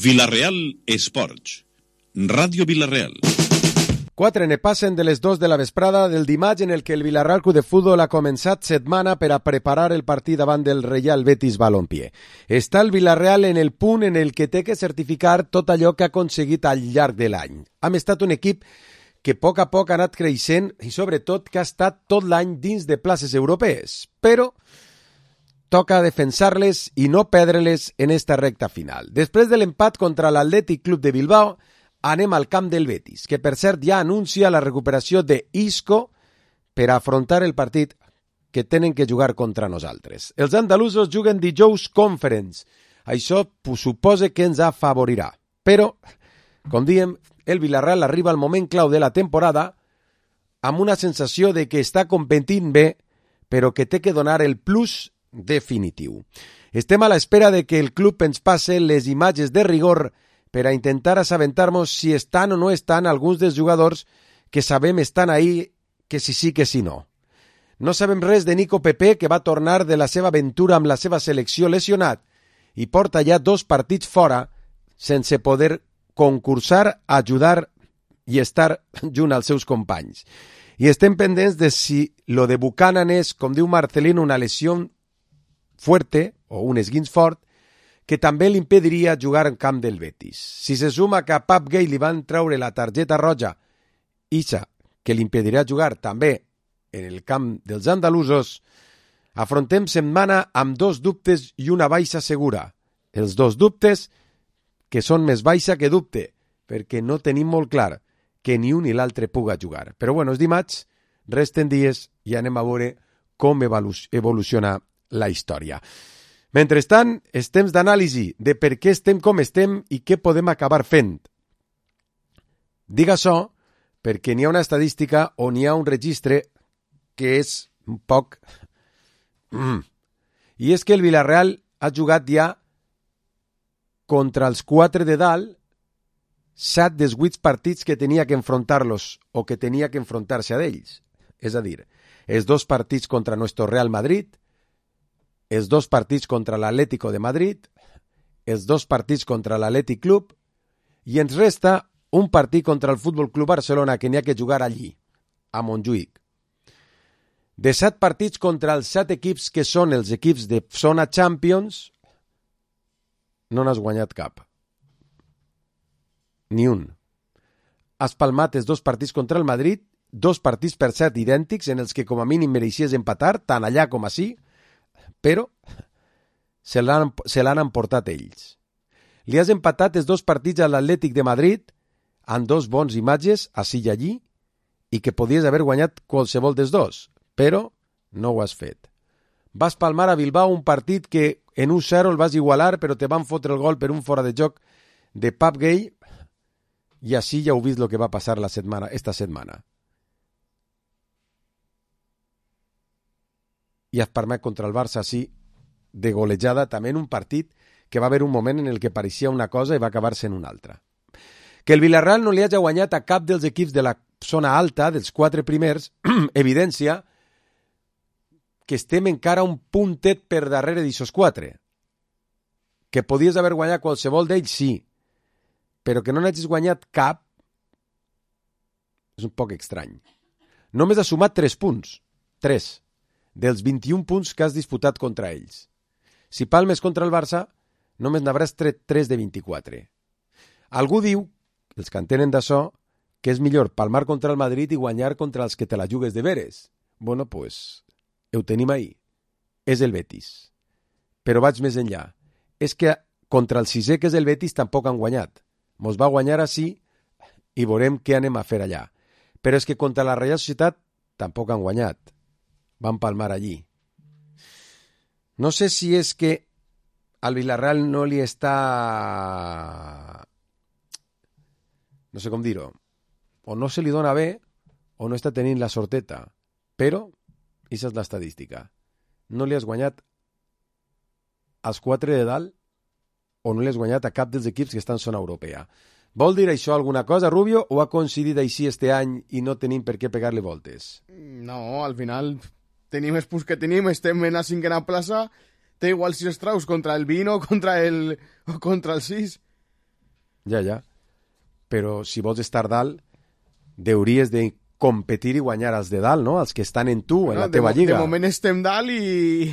Vila-real Esports. Ràdio Vila-real. 4 ne passen de les 2 de la vesprada del dimarts en el que el Vila-real Club de Futbol ha començat setmana per a preparar el partit davant del Reial Betis Balompié. Està el Vila-real en el punt en el que té que certificar tot allò que ha aconseguit al llarg de l'any. Hem estat un equip que a poc ha anat creixent i sobretot que ha estat tot l'any dins de places europees, però toca defensar-les i no perdre-les en esta recta final. Després de l'empat contra l'Atlètic Club de Bilbao, anem al camp del Betis, que per cert ja anuncia la recuperació d'Isco per afrontar el partit que tenen que jugar contra nosaltres. Els andalusos juguen dijous Conference. Això suposa que ens afavorirà. Però, com diem, el Vila-real arriba al moment clau de la temporada amb una sensació de que està competint bé, però que té que donar el plus definitiu. Estem a l'espera de que el club ens passe les imatges de rigor per a intentar assabentar-nos si estan o no estan alguns dels jugadors que sabem estan ahí, que si sí, que si no. No sabem res de Nico Pepe, que va tornar de la seva aventura amb la seva selecció lesionat i porta ja 2 partits fora sense poder concursar, ajudar i estar junt als seus companys. I estem pendents de si lo de Buchanan és, com diu Marcelino, una lesió fuerte o un esguins fort que també li impediria jugar en camp del Betis. Si se suma que a Pap Gay li van treure la targeta roja, ixa, que li impedirà jugar també en el camp dels andalusos, afrontem setmana amb 2 dubtes i una baixa segura. Els 2 dubtes que són més baixa que dubte, perquè no tenim molt clar que ni un ni l'altre puga jugar. Però bueno, és dimarts, resten dies i anem a veure com evoluciona la història. Mentrestant, és temps d'anàlisi de per què estem com estem i què podem acabar fent. Dic això perquè n'hi ha una estadística o n'hi ha un registre que és un poc... I és que el Vila-real ha jugat ja contra els 4 de dalt 7 dels 8 partits que tenia que enfrontar-los o que tenia que enfrontar-se a ells. És a dir, els 2 partits contra nuestro Real Madrid, els 2 partits contra l'Atlético de Madrid, els 2 partits contra l'Atlètic Club i ens resta un partit contra el Futbol Club Barcelona que n'hi ha que jugar allí, a Montjuïc. De 7 partits contra els 7 equips que són els equips de zona Champions, no n'has guanyat cap. Ni un. Has palmat els 2 partits contra el Madrid, 2 partits per cert idèntics en els que com a mínim mereixies empatar, tant allà com ací, però se l'han emportat ells. Li has empatat els 2 partits a l'Atlètic de Madrid amb 2 bons imatges, ací i allí, i que podies haver guanyat qualsevol dels 2, però no ho has fet. Vas palmar a Bilbao un partit que en 1-0 el vas igualar, però te van fotre el gol per un fora de joc de Pap Gay, i així ja heu vist el que va passar esta setmana. I has palmat contra el Barça així, de golejada, també en un partit que va haver un moment en el que pareixia una cosa i va acabar-se en una altra. Que el Vila-real no li hagi guanyat a cap dels equips de la zona alta, dels 4 primers, evidència que estem encara un puntet per darrere d'aixòs 4. Que podies haver guanyat qualsevol d'ells, sí, però que no n'hagis guanyat cap és un poc estrany. Només has sumat 3 punts, 3, dels 21 punts que has disputat contra ells. Si palmes contra el Barça, només n'hauràs tret 3 de 24. Algú diu, els que entenen d'això, que és millor palmar contra el Madrid i guanyar contra els que te la jugues de veres. Bueno, pues, ho tenim ahí. És el Betis. Però vaig més enllà. És que contra el 6è, que és el Betis, tampoc han guanyat. Mos va guanyar així i veurem què anem a fer allà. Però és que contra la Reial Societat tampoc han guanyat. Van palmar allí. No sé si és que al Vila-real no li està... no sé com dir-ho. O no se li dona bé o no està tenint la sorteta. Però, aquesta és l'estadística. No li has guanyat als 4 de dalt o no li has guanyat a cap dels equips que estan en zona europea. Vol dir això alguna cosa, Rubio, o ha coincidit així este any i no tenim per què pegar-li voltes? No, al final tenim els punts que tenim, estem en la 5a plaça, té igual si es traus contra el 20 o contra el 6. Ja. Però si vols estar dalt, hauries de competir i guanyar els de dalt, no? Els que estan en tu, en la teva lliga. De moment estem dalt i...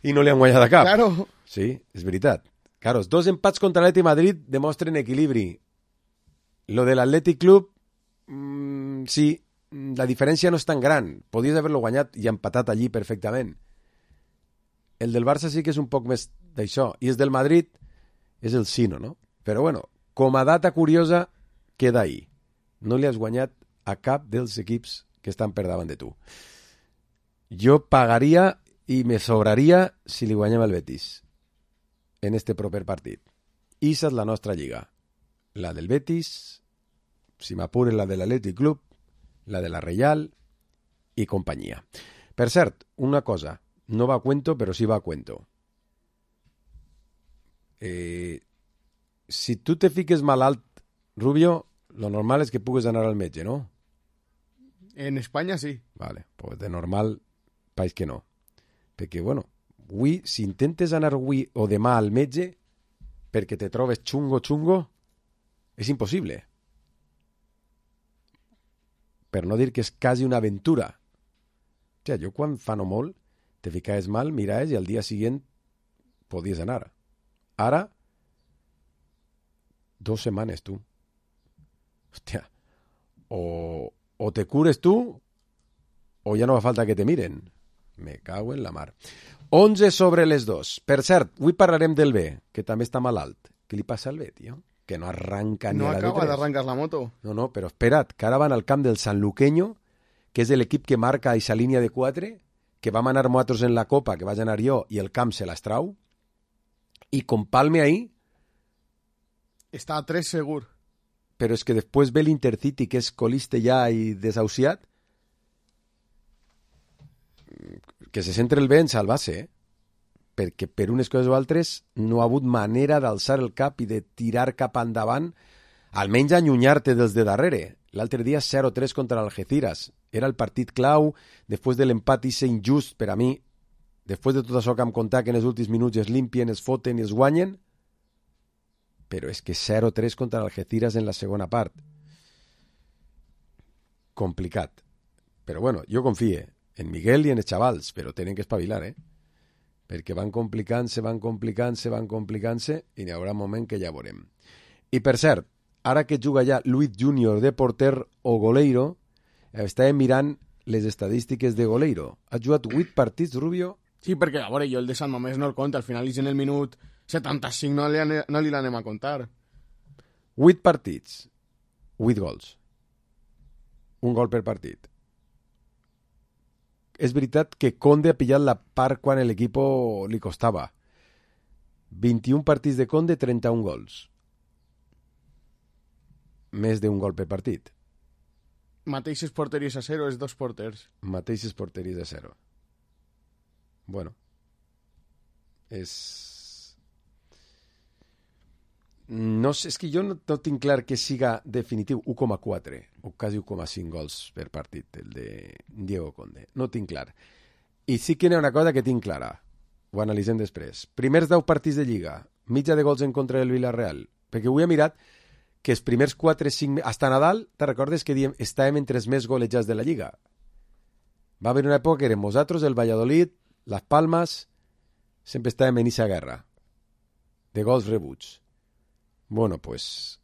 I no li han guanyat a cap. Claro. Sí, és veritat. Claro, els 2 empats contra l'Atlètic Madrid demostren equilibri. Lo de l'Atlètic Club, sí, la diferència no és tan gran. Podies haver-lo guanyat i empatat allí perfectament. El del Barça sí que és un poc més d'això. I el del Madrid és el Sino, no? Però bueno, com a data curiosa, queda ahí. No li has guanyat a cap dels equips que estan per davant de tu. Jo pagaria i me sobraria si li guanyem el Betis en este proper partit. Issa és la nostra lliga. La del Betis, si m'apuren la de l'Atlètic Club, la de la Reial i companyia. Per cert, una cosa, no va a cuento, però sí va a cuento. Si tu te fiques malalt, Rubio, lo normal és que pugues anar al metge, no? En Espanya sí. Vale, pues de normal, país que no. Perquè, bueno, avui, si intentes anar avui o demà al metge perquè te trobes xungo, és impossible. Per no dir que és quasi una aventura. O sigui, jo quan fa no molt te ficaves mal, miraves i al dia següent podies anar. Ara, 2 setmanes, tu. Hòstia, o te cures tu o ja no fa falta que te miren. Me cago en la mar. 11 sobre les 2. Per cert, avui parlarem del B, que també està malalt. Què li passa al B, tio? Que no arranca ni no a la acaba D3. d'arrancar la moto. No, però espera't, que ara van al camp del Sanluqueño, que és l'equip que marca a esa línia de 4, que vam anar nosaltres en la Copa, que vaig anar jo, i el camp se l'estrau, i com palme ahí... Està a 3 segur. Però és que després ve l'Intercity, que és colista ja i desahuciat, que se centra el bé en salvar-se, perquè per unes coses o altres no ha hagut manera d'alçar el cap i de tirar cap endavant, almenys allunyar-te dels de darrere. L'altre dia 0-3 contra l'Algeciras. Era el partit clau, després de l'empat ese injust per a mi, després de tot això que hem contat que en els últims minuts es limpien, es foten i es guanyen, però és que 0-3 contra l'Algeciras en la segona part. Complicat. Però bueno, jo confie en Miguel i en els xavals, però tenen que espavilar, perquè van complicant-se i n'hi haurà un moment que ja veurem. I per cert, ara que juga ja Luis Junior de porter o Goleiro, estàvem mirant les estadístiques de Goleiro. Ha jugat 8 partits, Rubio? Sí, perquè, a veure, jo el de Sant Mamés no el compte, al final és en el minut 75, no li l'anem a contar. 8 partits, 8 gols. Un gol per partit. És veritat que Conde ha pillat la part quan l'equip li costava. 21 partits de Conde, 31 gols. Més d'un gol per partit. Mateixes porteries a 0, és 2 porters. Mateixes porteries a 0. Bueno. No sé, és que jo no tinc clar que siga definitiu 1,4 o quasi 1,5 gols per partit, el de Diego Conde. No tinc clar. I sí que n'hi ha una cosa que tinc clara. Ho analitzem després. Primers 10 partits de Lliga, mitja de gols en contra del Villarreal. Perquè avui he mirat que els primers 4-5... Hasta Nadal, te recordes que diem, estàvem entre els més golejats de la Lliga? Va haver una època que érem nosaltres, el Valladolid, Las Palmas, sempre estàvem en esa guerra de gols rebuts. Bueno, pues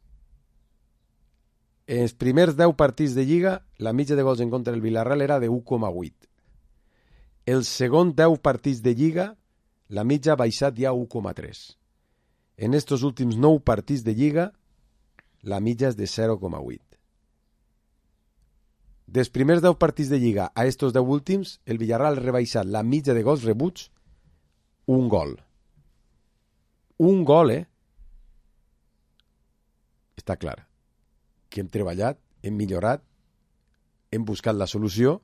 en els primers 10 partits de Lliga la mitja de gols en contra del Villarreal era de 1,8. El segon 10 partits de Lliga la mitja ha baixat ja a 1,3. En estos últims 9 partits de Lliga la mitja és de 0,8. Dels primers 10 partits de Lliga a estos 10 últims, el Villarreal ha rebaixat la mitja de gols rebuts un gol. Un gol, Està clar que hem treballat, hem millorat, hem buscat la solució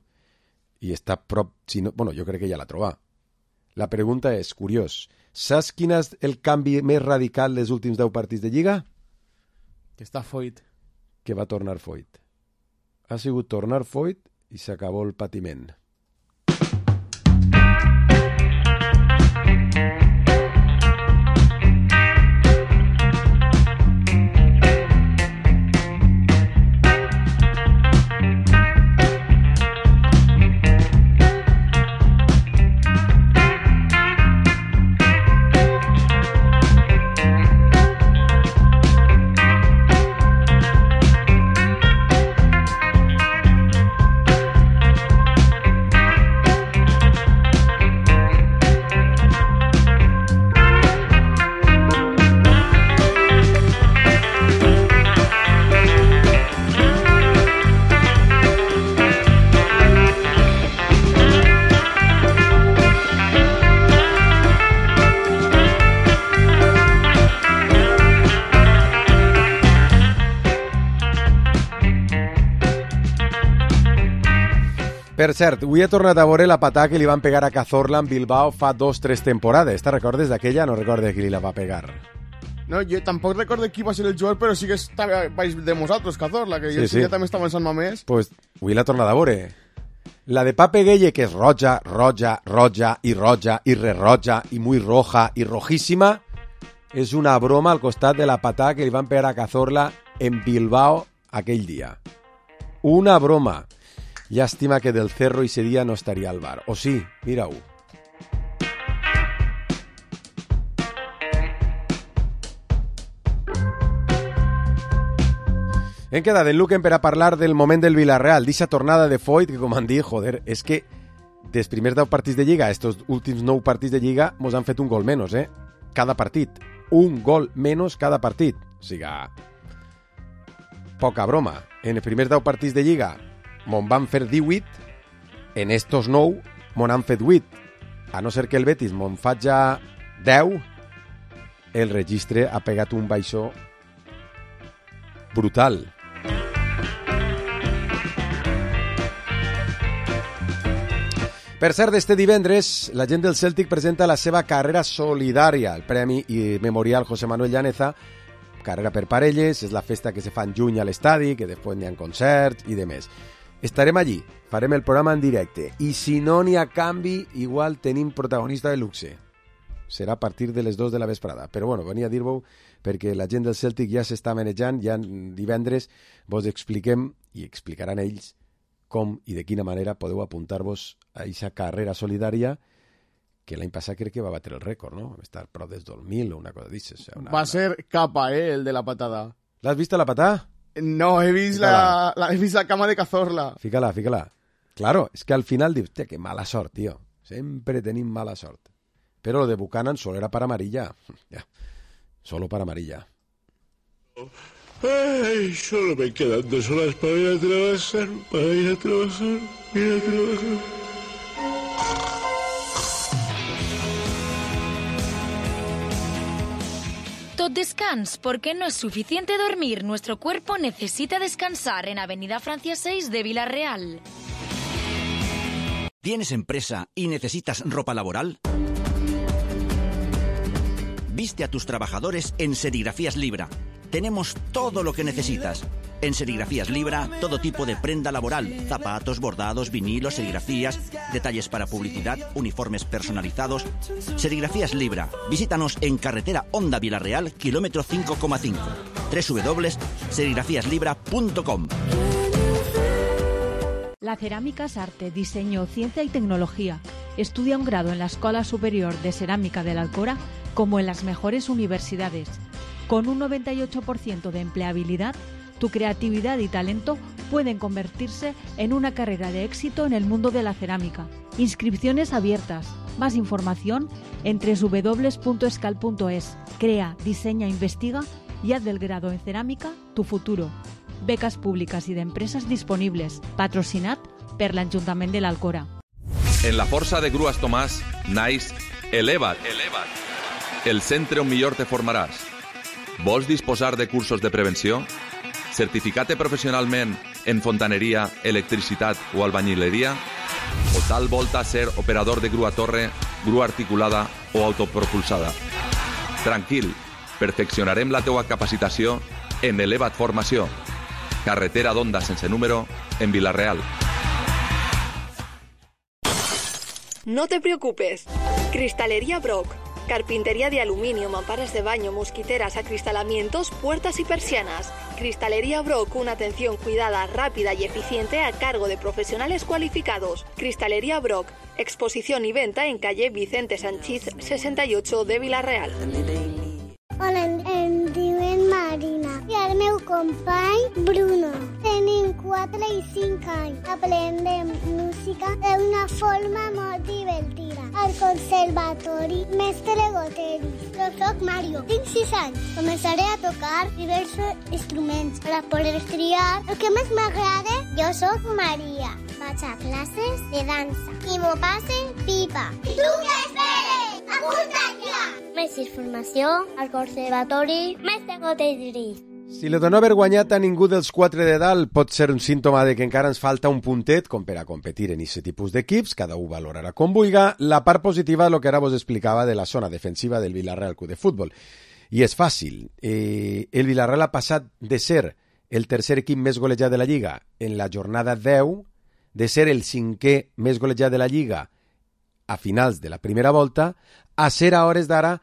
i està prop... Si no, bueno, jo crec que ja l'ha trobat. La pregunta és, curiós, saps quin és el canvi més radical dels últims 10 partits de Lliga? Que està Foyt. Que va tornar Foyt. Ha sigut tornar Foyt i s'acabó el patiment. Per cert, avui he tornat a veure la patada que li van pegar a Cazorla en Bilbao fa 2-3 temporades. ¿Te recordes d'aquella? No recordes qui li la va pegar. No, jo tampoc recordo qui va ser el jugador, però sí que estava baix de nosaltres, Cazorla, que jo sí. També estava en Sant Mamés. Pues avui l'ha tornat a veure. La de Pape Gueye, que és roja, roja, roja i roja i re-roja i muy roja i rojíssima, és una broma al costat de la patada que li van pegar a Cazorla en Bilbao aquell dia. Una broma. Llàstima que del Cerro ese día no estaria al bar. O sí, mira-ho. Hem quedat en Luquen per a parlar del moment del Villarreal, d'eixa tornada de Foyt, que com han dit, joder, és que dels primers 10 partits de Lliga, estos últims 9 partits de Lliga, mos han fet un gol menys, cada partit. Un gol menys cada partit. O sigui, poca broma. En els primers 10 partits de Lliga mon van fer 18, en estos 9 mon han fet 8. A no ser que el Betis mon faig 10, el registre ha pegat un baixó brutal. Per cert, este divendres la gent del Celtic presenta la seva carrera solidària, el Premi i Memorial José Manuel Llaneza, carrera per parelles, és la festa que se fa en juny a l'estadi, que després n'hi ha concerts i demés. Estarem allí, farem el programa en directe, i si no n'hi ha canvi, igual tenim protagonista de luxe. Serà a partir de les 2 de la vesprada. Però bueno, venia a dir-vos perquè la gent del Celtic ja s'està manejant, ja divendres vos expliquem, i explicaran ells, com i de quina manera podeu apuntar-vos a aquesta carrera solidària que l'any passat crec que va batre el rècord, no? Va estar prop des 2000 o una cosa d'això. O sea, va ser capa, el de la patada. L'has vist la patada? No, he vist la cama de Cazorla. Fícala. Claro, es que al final dius, que mala sort, tío. Sempre tenim mala sort. Pero lo de Buchanan solo era para amarilla. Ya, solo para amarilla. Ay, solo me quedan 2 horas para ir a trabajar, Tot descans, porque no es suficiente dormir. Nuestro cuerpo necesita descansar en Avenida Francia 6 de Villarreal. ¿Tienes empresa y necesitas ropa laboral? Viste a tus trabajadores en Serigrafías Libra. Tenemos todo lo que necesitas. En Serigrafías Libra, todo tipo de prenda laboral, zapatos, bordados, vinilos, serigrafías, detalles para publicidad, uniformes personalizados. Serigrafías Libra. Visítanos en carretera Honda Villarreal, kilómetro 5,5. www.serigrafiaslibra.com. La cerámica es arte, diseño, ciencia y tecnología. Estudia un grado en la Escuela Superior de Cerámica de la Alcora como en las mejores universidades. Con un 98% de empleabilidad, tu creatividad y talento pueden convertirse en una carrera de éxito en el mundo de la cerámica. Inscripciones abiertas. Más información en www.escal.es. Crea, diseña, investiga y haz del grado en cerámica tu futuro. Becas públicas y de empresas disponibles. Patrocinat per l'Ajuntament de l'Alcora. En la força de Grues Tomàs naix Eleva't. El centre on millor te formaràs. Vols disposar de cursos de prevenció? Certificar-te professionalment en fontaneria, electricitat o albañileria? O tal volta ser operador de grua torre, grua articulada o autopropulsada? Tranquil, perfeccionarem la teua capacitació en Eleva't Formació. Carretera d'Onda sense número en Villarreal. No te preocupes. Cristalería Brock. Carpintería de aluminio, mamparas de baño, mosquiteras, acristalamientos, puertas y persianas. Cristalería Brock, una atención cuidada, rápida y eficiente a cargo de profesionales cualificados. Cristalería Brock, exposición y venta en calle Vicente Sanchís 68 de Villarreal. Hola, em diuen Marina i el meu company Bruno. Tenim 4 i 5 anys. Aprendem música d'una forma molt divertida. Al conservatori Mestre Goteris. Jo soc Mario, tinc 6 anys. Començaré a tocar diversos instruments per a poder triar el que més m'agrada. Jo soc Maria. Vaig a classes de dansa i m'ho passen pipa. I tu què esperes? Apunta't ja! Més informació al Conservatori Mestre Goteris. Si el de no haver guanyat a ningú dels 4 de dalt pot ser un símptoma de que encara ens falta un puntet com per a competir en aquest tipus d'equips, cada un valorarà com vulga, la part positiva és el que ara vos explicava de la zona defensiva del Villarreal Club de Futbol. I és fàcil. El Villarreal ha passat de ser el tercer equip més golejat de la Lliga en la jornada 10, de ser el 5è més golejat de la Lliga a finals de la primera volta, a ser a hores d'ara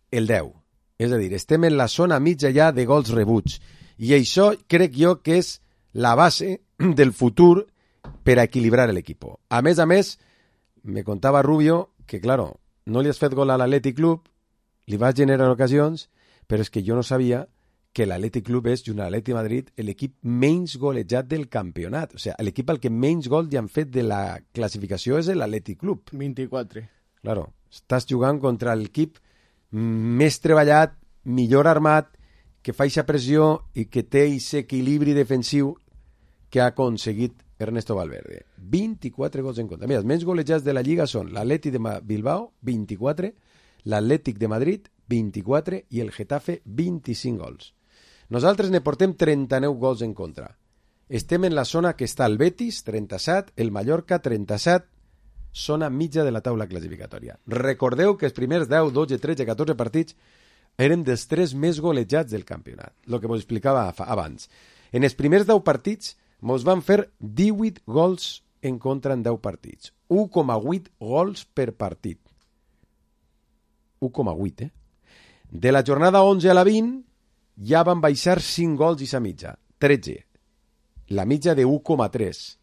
el 10. És a dir, estem en la zona mitja ja de gols rebuts. I això crec jo que és la base del futur per a equilibrar l'equip. A més, me contava Rubio que, claro, no li has fet gol a l'Atlètic Club, li vas generar ocasions, però és que jo no sabia que l'Atlètic Club és, junt a l'Atlètic Madrid, l'equip menys golejat del campionat. O sigui, l'equip al que menys gols li han fet de la classificació és l'Atlètic Club. 24. Claro, estàs jugant contra l'equip més treballat, millor armat, que fa aquesta pressió i que té aquest equilibri defensiu que ha aconseguit Ernesto Valverde. 24 gols en contra. Mira, els menys golejats de la Lliga són l'Atlètic de Bilbao, 24, l'Atlètic de Madrid, 24, i el Getafe, 25 gols. Nosaltres ne portem 39 gols en contra. Estem en la zona que està el Betis, 37, el Mallorca, 37, zona mitja de la taula classificatòria. Recordeu que els primers 10, 12, 13, 14 partits eren dels 3 més golejats del campionat, el que vos explicava abans. En els primers 10 partits mos van fer 18 gols en contra en 10 partits. 1,8 gols per partit. 1,8, De la jornada 11 a la 20 ja van baixar 5 gols i sa mitja, 13. La mitja de 1,3.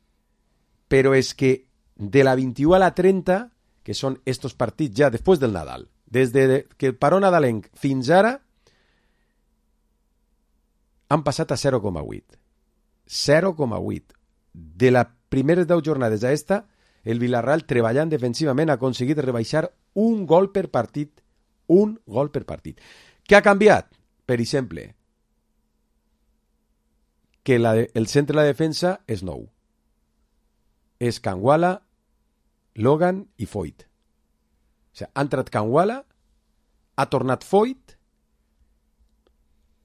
Però és que de la 21 a la 30, que són estos partits ja després del Nadal, des que el paró nadalenc fins ara, han passat a 0,8. 0,8. De les primeres 10 jornades a esta, el Villarreal, treballant defensivament, ha aconseguit rebaixar un gol per partit. Un gol per partit. Què ha canviat? Per exemple, que el centre de la defensa és nou. És Kangwala, Logan i Foyt. O sigui, ha entrat Kangwala, ha tornat Foyt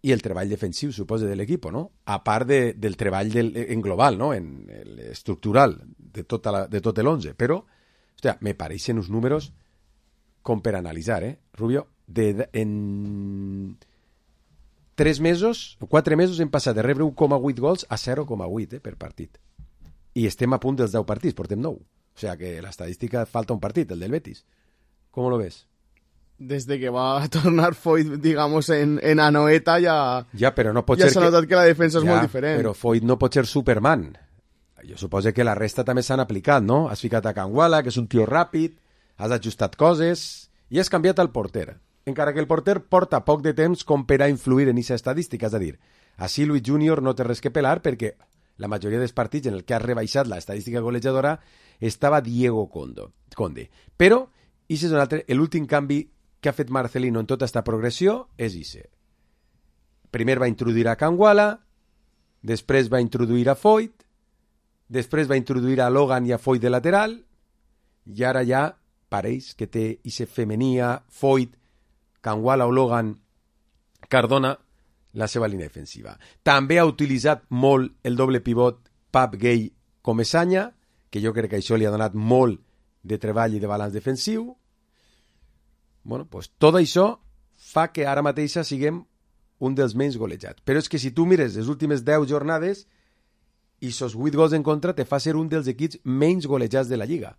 i el treball defensiu, suposa, de l'equip, no? A part del treball en global, no? En estructural de tot l'11. Però, hòstia, me pareixen uns números com per analitzar, Rubio? En 3 mesos, 4 mesos hem passat de rebre 1,8 gols a 0,8 per partit. I estem a punt dels 10 partits, portem 9. O sea que la estadística falta un partit, el del Betis. ¿Cómo lo ves? Desde que va a tornar Foyt, digamos, en Anoeta ja però no pot ja ser s'ha notat que la defensa és molt diferent. Però Foyt no pot ser Superman. Jo suposo que la resta també s'han aplicat, no? Has ficat a Kangwala, que és un tio ràpid, has ajustat coses i has canviat el porter. Encara que el porter porta poc de temps com per a influir en aquesta estadística. És a dir, així Luis Junior no té res que pelar perquè la majoria dels partits en el que ha rebaixat l'estadística golejadora estava Diego Conde. Però, i és un altre, l'últim canvi que ha fet Marcelino en tota aquesta progressió és ese. Primer va introduir a Kangwala, després va introduir a Foyt, després va introduir a Logan i a Foyt de lateral, i ara ja pareix que té ese femenia Foyt, Kangwala o Logan, Cardona, la seva línia defensiva. També ha utilitzat molt el doble pivot Pap Gay Comesaña, que jo crec que això li ha donat molt de treball i de balanç defensiu. Bueno, pues tot això fa que ara mateixa siguem un dels menys golejats. Però és que si tu mires les últimes 10 jornades i sos 8 gols en contra te fa ser un dels equips menys golejats de la Lliga.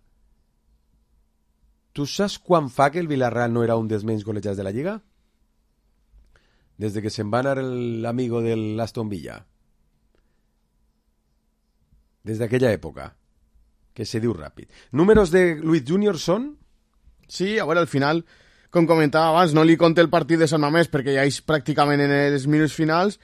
Tu saps quan fa que el Villarreal no era un dels menys golejats de la Lliga? Des de que se'n va anar l'amigo de l'Aston Villa. Des d'aquella època, que se diu ràpid. Números de Luis Junior són? Sí, a veure, al final, com comentava abans, no li compte el partit de Sant Mamés perquè ja és pràcticament en els minuts finals.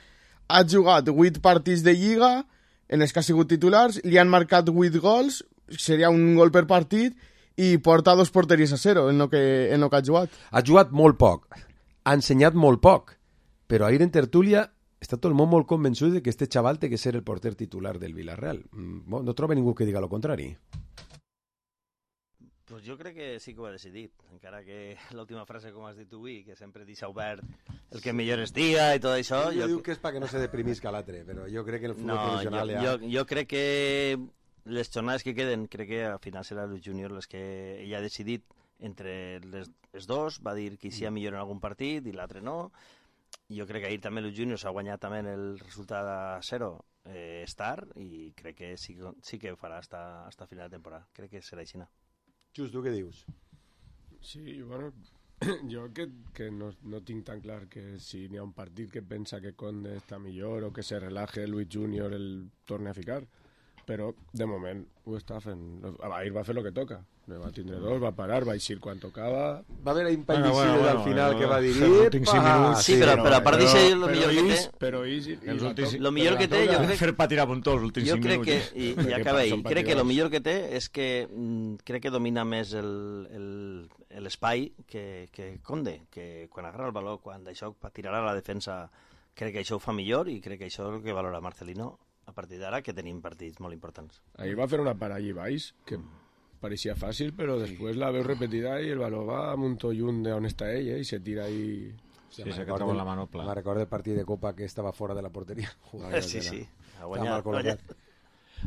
Ha jugat 8 partits de Lliga, en els que ha sigut titulars, li han marcat 8 gols, seria un gol per partit, i porta 2 porteries a 0 en lo que ha jugat. Ha jugat molt poc, ha ensenyat molt poc, però ahir en tertúlia està tot el món molt convençut de que este xaval té que ser el porter titular del Villarreal. No troba ningú que diga lo contrari. Pues jo crec que sí que ho ha decidit, encara que l'última frase, com has dit tu avui, que sempre deixa obert el que millor estia i tot això... Jo diu que és perquè no se deprimisca l'altre, però jo crec que el futbol professional ja... Jo crec que les jornades que queden, crec que al final serà el júnior les que ell ha decidit entre les dos, va dir que sí millor en algun partit i l'altre no. Jo crec que ahir també el júnior s'ha guanyat també el resultat a 0 estar i crec que sí que ho farà hasta final de temporada. Crec que serà així. Just, tu què dius? Sí, bueno, jo que no tinc tan clar que si n'hi ha un partit que pensa que Conde està millor o que se relaje Luis Junior el torne a ficar, però de moment ho està fent. Ahir va fer el que toca, va tindre 2, va parar, va eixir quan tocava. Va haver un pallicido al final que va dir... Sí, però a part d'això, el millor que té... Però el millor que té, jo crec... Fer patir a puntó els últims 5 minuts. I acaba ahir. Crec que el millor que té és que crec que domina més l'espai que Conde, que quan agarra el valor, quan d'això tirarà a la defensa, crec que això ho fa millor i crec que això és el que valora Marcelino a partir d'ara, que tenim partits molt importants. Ahir va fer una parada i baix, que parecía fácil, pero después la veo repetida y el balón va a un tollún de on està ell, y se tira ahí... Sí, se queda con la mano plana. Me recordo el partit de Copa que estava fora de la porteria. Sí.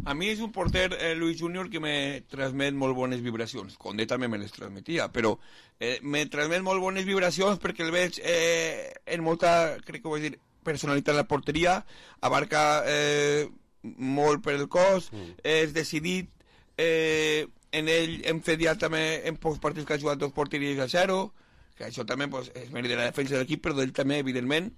A mi és un porter, Luis Junior, que me transmet molt bones vibracions. Conde també me les transmetia, però me transmet molt bones vibracions perquè el veig en molta, crec que ho vaig dir, personalitat en la porteria, abarca molt per el cos, és decidit, en ell hem fet ja també en pocs partits que ha jugat 2 porteries a 0, que això també pues, és mèrit de la defensa de l'equip, però d'ell també, evidentment,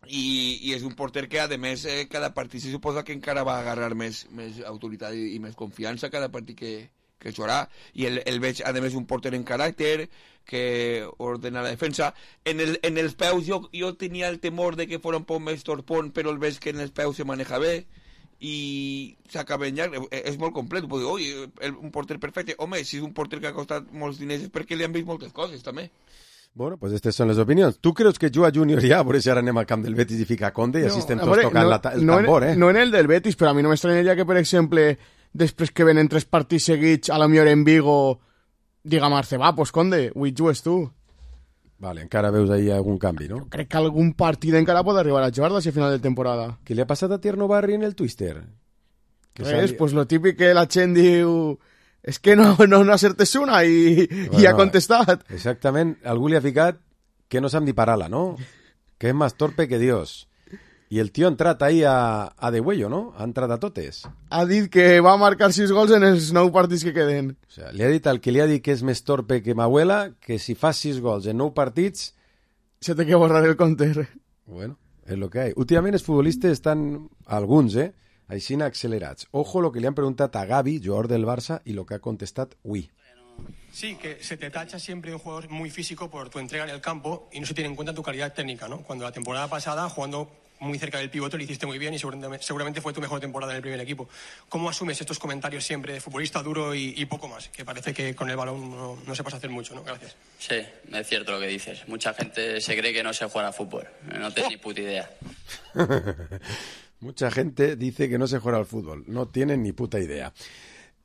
i és un porter que, a més, cada partit se suposa que encara va agarrar més autoritat i més confiança cada partit que jugarà, i el veig, a més, un porter en caràcter, que ordena la defensa. En els peus jo tenia el temor de que fos un poc més torpón, però el veig que en els peus se maneja bé, i s'acaba en llarg, és molt complet. Puc dir, oi, un porter perfecte. Home, si és un porter que ha costat molts diners és perquè li han vist moltes coses, també. Bueno, pues estas son las opiniones. ¿Tú crees que juga Junior ya? Por eso ahora anem al camp del Betis y fica Conde y así estem tots tocant el tambor, No en el del Betis, però a mi no m'estranyaria que, per exemple, després que venen 3 partits seguits, a la millor en Vigo, diga Marce, va, pues Conde, avui jugues tu. Vale, encara veus ahí algun canvi, no? Jo crec que algun partit encara pot arribar a jugar d'ací a final de temporada. Què li ha passat a Tierno Barri en el Twister? Pues lo típic que la gent diu... És que no acertes una i ha contestat. Exactament, algú li ha ficat que no sap ni parar-la, no? Que és més torpe que Dios. I el tio ha entrat ahí a degüello, no? Ha entrat a totes. Ha dit que va marcar 6 gols en els 9 partits que queden. O sea, li ha dit al que li ha dit que és més torpe que m'abuela que si fa 6 gols en 9 partits... Se té que borrar el compte. Bueno, és lo que hay. Últimament els futbolistes estan, alguns, així accelerats. Ojo lo que li han preguntat a Gavi, jugador del Barça, y lo que ha contestat Wii. Sí, que se te tacha siempre un jugador muy físico por tu entrega en el campo y no se tiene en cuenta tu calidad técnica, ¿no? Cuando la temporada pasada, jugando muy cerca del pivote, lo hiciste muy bien y seguramente fue tu mejor temporada en el primer equipo. ¿Cómo asumes estos comentarios siempre de futbolista duro y poco más? Que parece que con el balón no se pasa a hacer mucho, ¿no? Gracias. Sí, es cierto lo que dices. Mucha gente se cree que no se juega a fútbol. No tiene ni puta idea. Mucha gente dice que no se juega al fútbol. No tienen ni puta idea.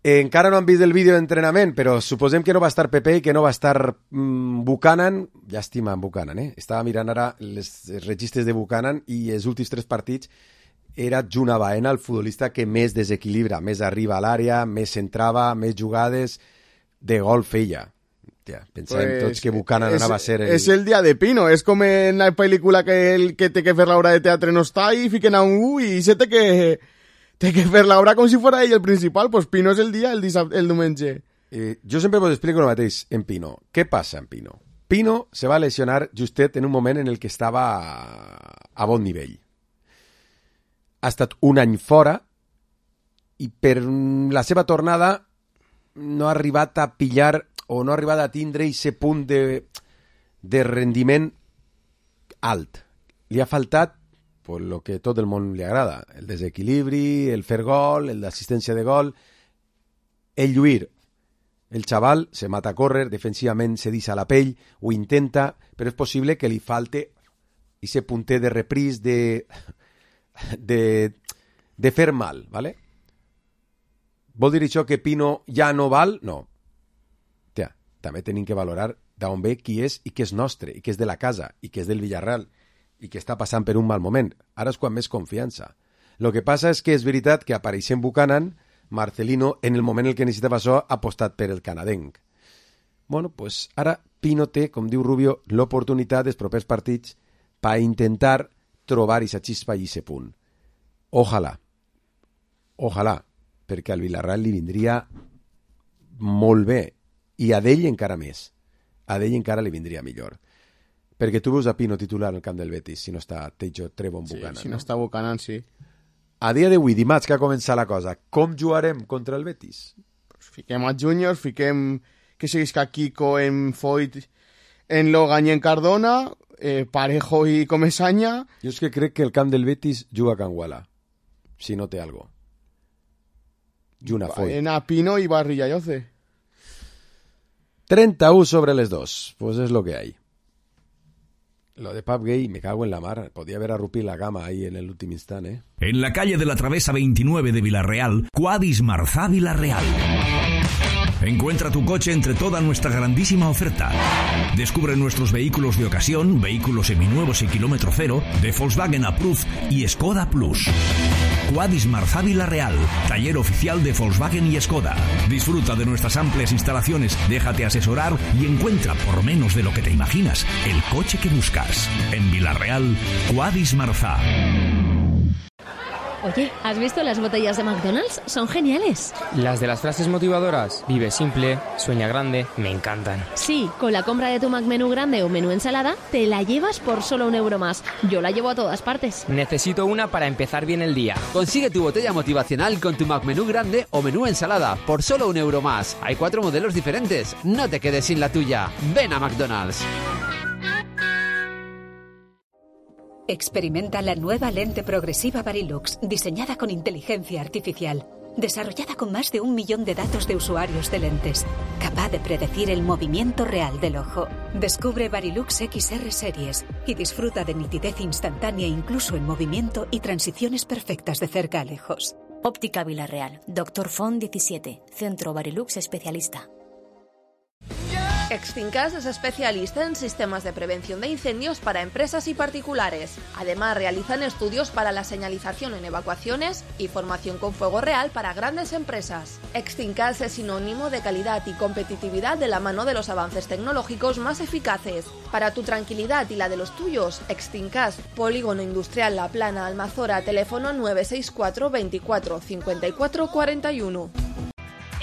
Encara no han vist el vídeo d'entrenament, però suposem que no va estar Pepe i que no va estar Buchanan. Llàstima en Buchanan, Estava mirant ara els registres de Buchanan i els últims 3 partits era Juna Baena el futbolista que més desequilibra, més arriba a l'àrea, més centrava, més jugades de gol feia. Pensàvem tots que Buchanan anava a ser... És el dia de Pino, és com en la pel·lícula que el que té que fer l'obra de teatre no està i fiquen a un i se té que fer l'obra com si fos ell el principal. Pues Pino és el dia, el diumenge. Jo sempre vos explico el mateix en Pino. Què passa en Pino? Pino se va lesionar justet en un moment en el que estava a bon nivell. Ha estat un any fora i per la seva tornada no ha arribat a pillar o no ha arribat a tindre aquest punt de rendiment alt. Li ha faltat pues, lo que tot el món li agrada, el desequilibri, el fer gol, el d'assistència de gol, el lluir. El xaval se mata a córrer, defensivament se deixa la pell, ho intenta, però és possible que li falte aquest punter de repris de fer mal, ¿vale? Vol dir això que Pino ja no val? No. també tenim que valorar d'on ve qui és i què és nostre, i què és de la casa, i què és del Villarreal, i que està passant per un mal moment. Ara és quan més confiança. El que passa és que és veritat que apareixent Buchanan, Marcelino, en el moment en què necessitava això, ha apostat per el canadenc. Bueno, pues ara Pino té, com diu Rubio, l'oportunitat dels propers partits per intentar trobar aquesta xispa i aquest punt. Ojalà, perquè al Villarreal li vindria molt bé, i a d'ell encara més. A d'ell encara li vindria millor. Perquè tu veus a Pino titular al camp del Betis, si no està Teijo, Trevon, Buchanan. Sí, si no està Buchanan, sí. A dia d'avui, dimarts, que ha començat la cosa, com jugarem contra el Betis? Pues fiquem a Junior, fiquem que seguisca Kiko en Foyt, en Logan i en Cardona, Parejo i Comesaña. Jo és que crec que el camp del Betis juga a Can Guala, si no té algo. Juna Foyt. En a Pino i Barri Yayoce. 31 sobre les 2, pues es lo que hay. Lo de Pap Gay, me cago en la mar. Podía haber arrupido la gama ahí en el último instante, ¿eh? En la calle de la Travesa 29 de Villarreal, Quadis Marzá Villarreal. Encuentra tu coche entre toda nuestra grandísima oferta. Descubre nuestros vehículos de ocasión, vehículos seminuevos y kilómetro cero, de Volkswagen Approved y Skoda Plus. Quadis Marzá Villarreal, taller oficial de Volkswagen y Skoda. Disfruta de nuestras amplias instalaciones, déjate asesorar y encuentra por menos de lo que te imaginas el coche que buscas. En Villarreal, Quadis Marzá. Oye, ¿has visto las botellas de McDonald's? Son geniales. Las de las frases motivadoras, vive simple, sueña grande, me encantan. Sí, con la compra de tu McMenú grande o menú ensalada, te la llevas por solo €1 más. Yo la llevo a todas partes. Necesito una para empezar bien el día. Consigue tu botella motivacional con tu McMenú grande o menú ensalada por solo €1 más. Hay 4 modelos diferentes. No te quedes sin la tuya. Ven a McDonald's. Experimenta la nueva lente progresiva Varilux, diseñada con inteligencia artificial, desarrollada con más de 1 millón de datos de usuarios de lentes, capaz de predecir el movimiento real del ojo. Descubre Varilux XR Series y disfruta de nitidez instantánea incluso en movimiento y transiciones perfectas de cerca a lejos. Óptica Villarreal, Dr. Font 17, Centro Varilux Especialista. Extincas es especialista en sistemas de prevención de incendios para empresas y particulares. Además, realizan estudios para la señalización en evacuaciones y formación con fuego real para grandes empresas. Extincas es sinónimo de calidad y competitividad de la mano de los avances tecnológicos más eficaces. Para tu tranquilidad y la de los tuyos, Extincas, Polígono Industrial La Plana, Almazora, teléfono 964 24 54 41.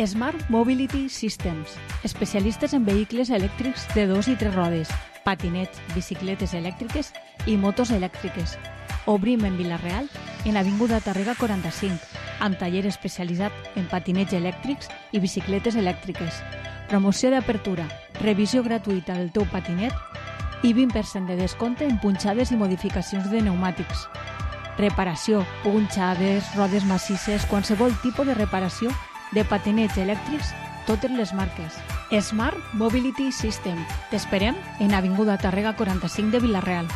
Smart Mobility Systems, especialistes en vehicles elèctrics de 2 i 3 rodes, patinets, bicicletes elèctriques i motos elèctriques. Obrim en Villarreal, en Avinguda Tàrrega 45, amb taller especialitzat en patinets elèctrics i bicicletes elèctriques. Promoció d'apertura, revisió gratuïta del teu patinet i 20% de descompte en punxades i modificacions de pneumàtics. Reparació, punxades, rodes massisses, qualsevol tipus de reparació de patinets elèctrics, totes les marques. Smart Mobility System. T'esperem en Avinguda Tàrrega 45 de Villarreal.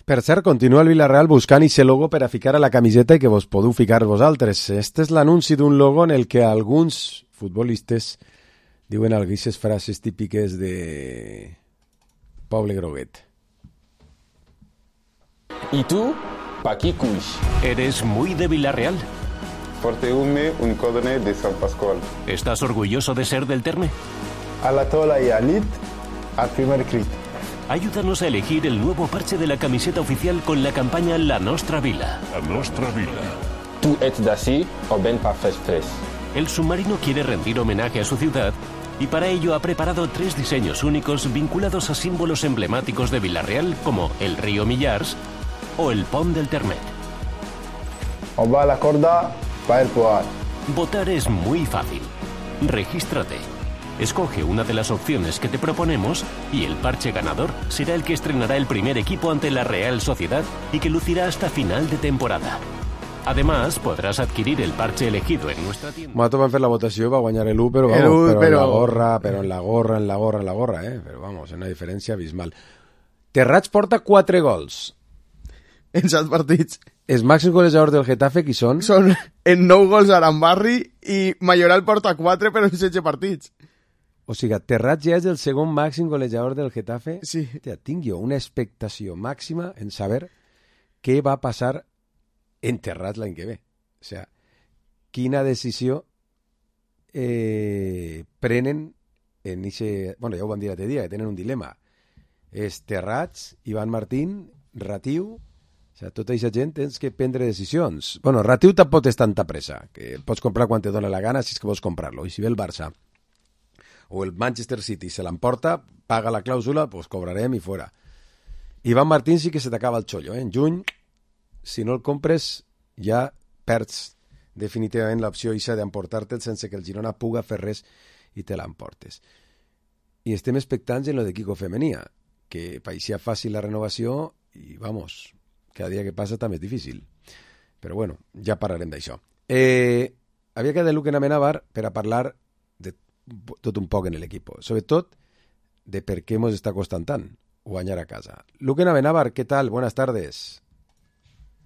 Per cert, continua el Villarreal buscant aquest logo per a ficar a la camiseta i que vos podeu ficar vosaltres. Este és l'anunci d'un logo en el que alguns futbolistes diuen algunes frases típiques de Poble Groguet. ¿Y tú? ¿Pa' qué cuix? ¿Eres muy de Villarreal? Porte-me un codone de San Pascual. ¿Estás orgulloso de ser del Terme? A la tola y alit, al primer crit. Ayúdanos a elegir el nuevo parche de la camiseta oficial con la campaña La Nostra Vila. La Nostra Vila. ¿Tú ets d'ací o ven pa fes? El submarino quiere rendir homenaje a su ciudad y para ello ha preparado 3 diseños únicos vinculados a símbolos emblemáticos de Villarreal como el río Millars o el Pont del Termet. O va a la corda para el poar. Votar es muy fácil. Regístrate. Escoge una de las opciones que te proponemos y el parche ganador será el que estrenará el primer equipo ante la Real Sociedad y que lucirá hasta final de temporada. Además, podrás adquirir el parche elegido en nuestra tienda. Nosaltres vam fer la votació i va guanyar el 1, però en la gorra, Però vamos, una diferència abismal. Terrats porta 4 gols. En 7 partits. Els màxims golejadors del Getafe, qui són? Són en 9 gols Arambarri i Mayoral porta 4, però en 16 partits. O sigui, Terrats ja és el segon màxim golejador del Getafe. Sí. Hòstia, tinc jo una expectació màxima en saber què va passar en Terrats l'any que ve. O sigui, quina decisió prenen en ixe... Bueno, ja ho vam dir l'altre dia, que tenen un dilema. És Terrats, Ivan Martín, Ratiu... O sigui, tota aquesta gent tens que prendre decisions. Bueno, Ratiu tampoc és tanta pressa, que pots comprar quan te dona la gana si és que vols comprar-lo. I si ve el Barça o el Manchester City se l'emporta, paga la clàusula, pues cobrarem i fora. Ivan Martín sí que se t'acaba el xollo, En juny, si no el compres, ja perds definitivament l'opció ixa d'emportar-te'l sense que el Girona puga fer res i te l'emportes. I estem expectants en lo de Kiko Femenia, que paeixia fàcil la renovació i, vamos, cada dia que passa també és difícil. Però bueno, ja parlarem d'això. Havia quedat Luquen Amenábar per a parlar de tot un poc en l'equip, sobretot de per què ens està costant tant guanyar a casa. Luquen Amenábar, ¿qué tal? Buenas tardes.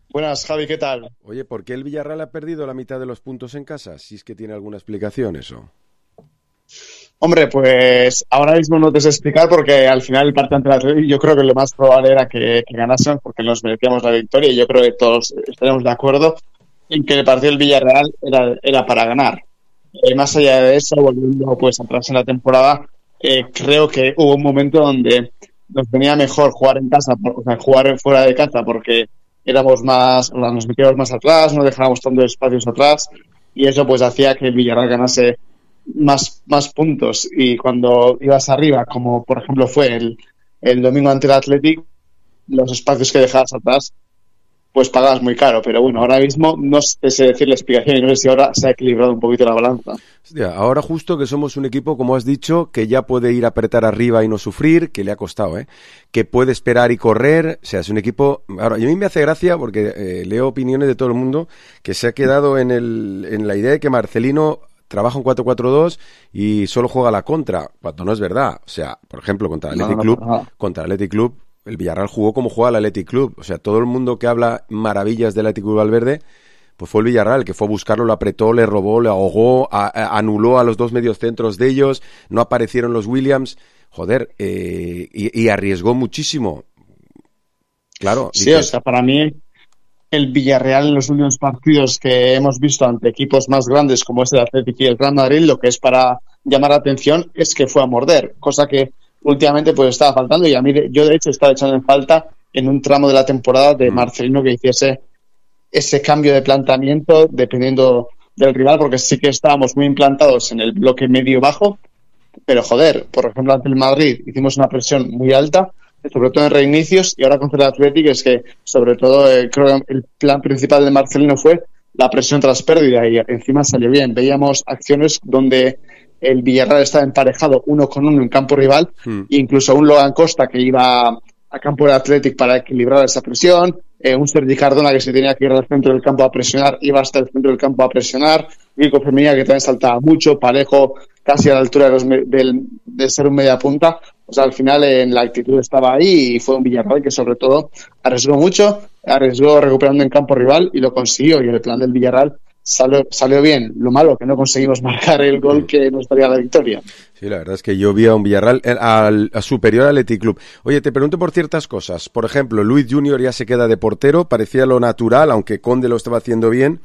Buenas, Javi, ¿qué tal? Oye, ¿por qué el Villarreal ha perdido la mitad de los puntos en casa? Si es que tiene alguna explicación eso. Hombre, pues ahora mismo no te sé explicar porque al final el partido ante el Atlético yo creo que lo más probable era que ganasen porque nos merecíamos la victoria y yo creo que todos estaremos de acuerdo en que el partido del Villarreal era para ganar. Más allá de eso, volviendo pues atrás en la temporada, creo que hubo un momento donde nos venía mejor jugar en casa, o sea, jugar fuera de casa porque nos metíamos más atrás, no dejábamos tantos espacios atrás y eso pues hacía que el Villarreal ganase más puntos y cuando ibas arriba, como por ejemplo fue el domingo ante el Athletic, los espacios que dejabas atrás pues pagabas muy caro, pero bueno, ahora mismo no sé decir la explicación y no sé si ahora se ha equilibrado un poquito la balanza. Hostia, ahora justo que somos un equipo, como has dicho, que ya puede ir a apretar arriba y no sufrir, que le ha costado, que puede esperar y correr, o sea, es un equipo... Ahora, y a mí me hace gracia porque leo opiniones de todo el mundo que se ha quedado en la idea de que Marcelino trabaja un 4-4-2 y solo juega a la contra, cuando no es verdad. O sea, por ejemplo, contra el Athletic Club, el Villarreal jugó como juega el Athletic Club. O sea, todo el mundo que habla maravillas del Athletic Club Valverde, pues fue el Villarreal, que fue a buscarlo, lo apretó, le robó, le ahogó, anuló a los dos mediocentros de ellos, no aparecieron los Williams, joder, y arriesgó muchísimo. Claro. Sí, o sea, para mí el Villarreal en los últimos partidos que hemos visto ante equipos más grandes como es el Athletic y el Real Madrid, lo que es para llamar la atención es que fue a morder, cosa que últimamente pues estaba faltando y a mí yo de hecho estaba echando en falta en un tramo de la temporada de Marcelino que hiciese ese cambio de planteamiento dependiendo del rival, porque sí que estábamos muy implantados en el bloque medio-bajo, pero joder, por ejemplo ante el Madrid hicimos una presión muy alta, sobre todo en reinicios, y ahora contra el Athletic es que sobre todo creo que el plan principal de Marcelino fue la presión tras pérdida y encima salió bien. Veíamos acciones donde el Villarreal estaba emparejado 1-1 en campo rival, incluso un Logan Costa que iba a campo del Athletic para equilibrar esa presión, un Sergi Cardona que se tenía que ir al centro del campo a presionar, iba hasta el centro del campo a presionar, Kiko Femenia que también saltaba mucho, Parejo casi a la altura de ser un media punta. O sea, al final en la actitud estaba ahí y fue un Villarreal que sobre todo arriesgó mucho, arriesgó recuperando en campo rival y lo consiguió, y el plan del Villarreal salió bien. Lo malo que no conseguimos marcar el gol que nos daría la victoria. Sí, la verdad es que yo vi a un Villarreal superior al Athletic Club. Oye, te pregunto por ciertas cosas. Por ejemplo, Luis Junior ya se queda de portero, parecía lo natural, aunque Conde lo estaba haciendo bien,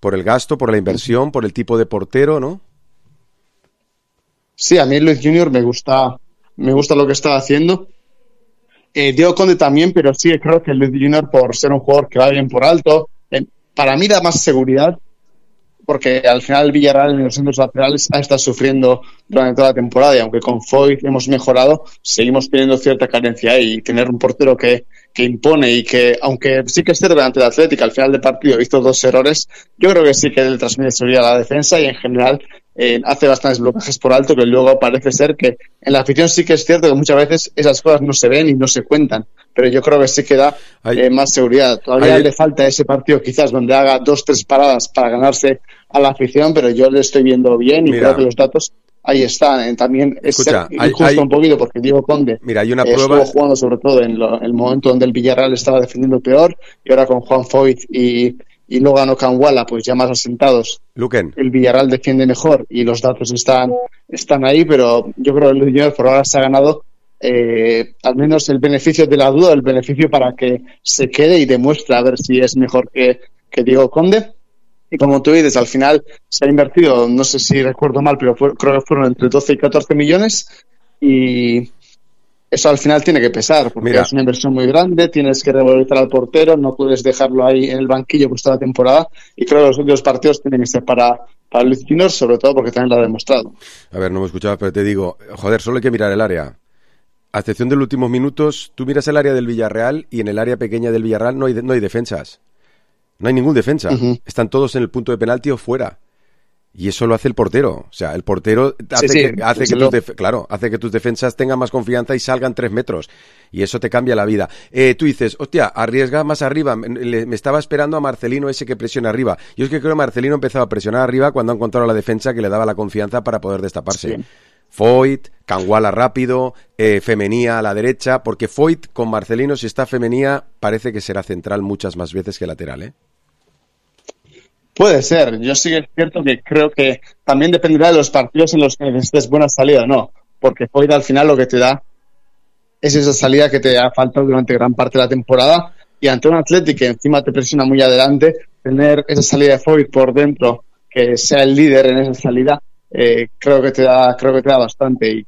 por el gasto, por la inversión, por el tipo de portero, ¿no? Sí, a mí Luis Junior me gusta lo que está haciendo. Diego Conde también, pero sí creo que Luis Junior, por ser un jugador que va bien por alto, para mí da más seguridad, porque al final el Villarreal en los centros laterales ha estado sufriendo durante toda la temporada, y aunque con Foyt hemos mejorado, seguimos teniendo cierta carencia, y tener un portero que impone y que, aunque sí que esté delante del Atlético, al final del partido hizo 2 errores, yo creo que sí que le transmite seguridad a la defensa y en general hace bastantes blocajes por alto, que luego parece ser que en la afición sí que es cierto que muchas veces esas cosas no se ven y no se cuentan, pero yo creo que sí que da más seguridad. Todavía le falta ese partido quizás donde haga 2-3 paradas para ganarse a la afición, pero yo le estoy viendo bien y creo que los datos ahí están. También es injusto un poquito porque Diego Conde hay una prueba, estuvo jugando sobre todo en el momento donde el Villarreal estaba defendiendo peor, y ahora con Juan Foyt y y luego ganó Canguala, pues ya más asentados. Luquen. El Villarreal defiende mejor y los datos están ahí, pero yo creo que el Junior por ahora se ha ganado al menos el beneficio de la duda, el beneficio para que se quede y demuestre a ver si es mejor que Diego Conde. Y como tú dices, al final se ha invertido, no sé si recuerdo mal, pero creo que fueron entre 12 y 14 millones y eso al final tiene que pesar, porque es una inversión muy grande, tienes que revalorizar al portero, no puedes dejarlo ahí en el banquillo pues toda la temporada, y creo que los últimos partidos tienen que ser para Luis Junior, sobre todo porque también lo ha demostrado. A ver, no me escuchabas, pero te digo, joder, solo hay que mirar el área. A excepción de los últimos minutos, tú miras el área del Villarreal y en el área pequeña del Villarreal no hay defensas. No hay ningún defensa. Están todos en el punto de penalti o fuera. Y eso lo hace el portero. O sea, el portero hace que tus defensas tengan más confianza y salgan 3 metros. Y eso te cambia la vida. Tú dices, hostia, arriesga más arriba. Me estaba esperando a Marcelino ese que presiona arriba. Yo es que creo que Marcelino empezaba a presionar arriba cuando ha encontrado la defensa que le daba la confianza para poder destaparse. Sí. Foyt, Canguala rápido, Femenía a la derecha, porque Foyt con Marcelino, si está Femenía, parece que será central muchas más veces que lateral, ¿eh? Puede ser. Yo sí que es cierto que creo que también dependerá de los partidos en los que necesites buena salida o no, porque Foyt al final lo que te da es esa salida que te ha faltado durante gran parte de la temporada, y ante un Athletic que encima te presiona muy adelante, tener esa salida de Foyt por dentro, que sea el líder en esa salida, creo que te da bastante,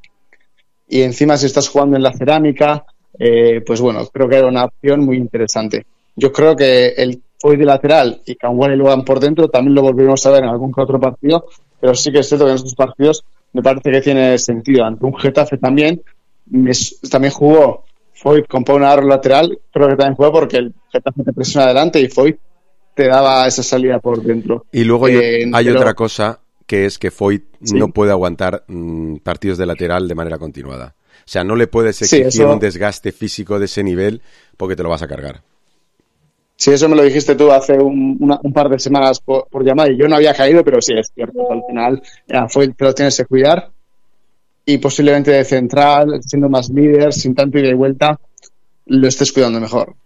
y encima si estás jugando en la Cerámica, pues bueno, creo que era una opción muy interesante. Yo creo que el Foyt de lateral y Canguala y Logan por dentro también lo volveremos a ver en algún que otro partido, pero sí que es cierto que en estos partidos me parece que tiene sentido. Ante un Getafe también jugó Foyt con Pau Navarro lateral, creo que también jugó porque el Getafe te presiona adelante y Foyt te daba esa salida por dentro. Y luego hay otra cosa, que es que Foyt no puede aguantar partidos de lateral de manera continuada. O sea, no le puedes exigir un desgaste físico de ese nivel porque te lo vas a cargar. Sí, eso me lo dijiste tú hace un par de semanas por llamada y yo no había caído, pero sí, es cierto. Al final, Foyt te lo tienes que cuidar y posiblemente de central, siendo más líder, sin tanto ida y vuelta, lo estés cuidando mejor.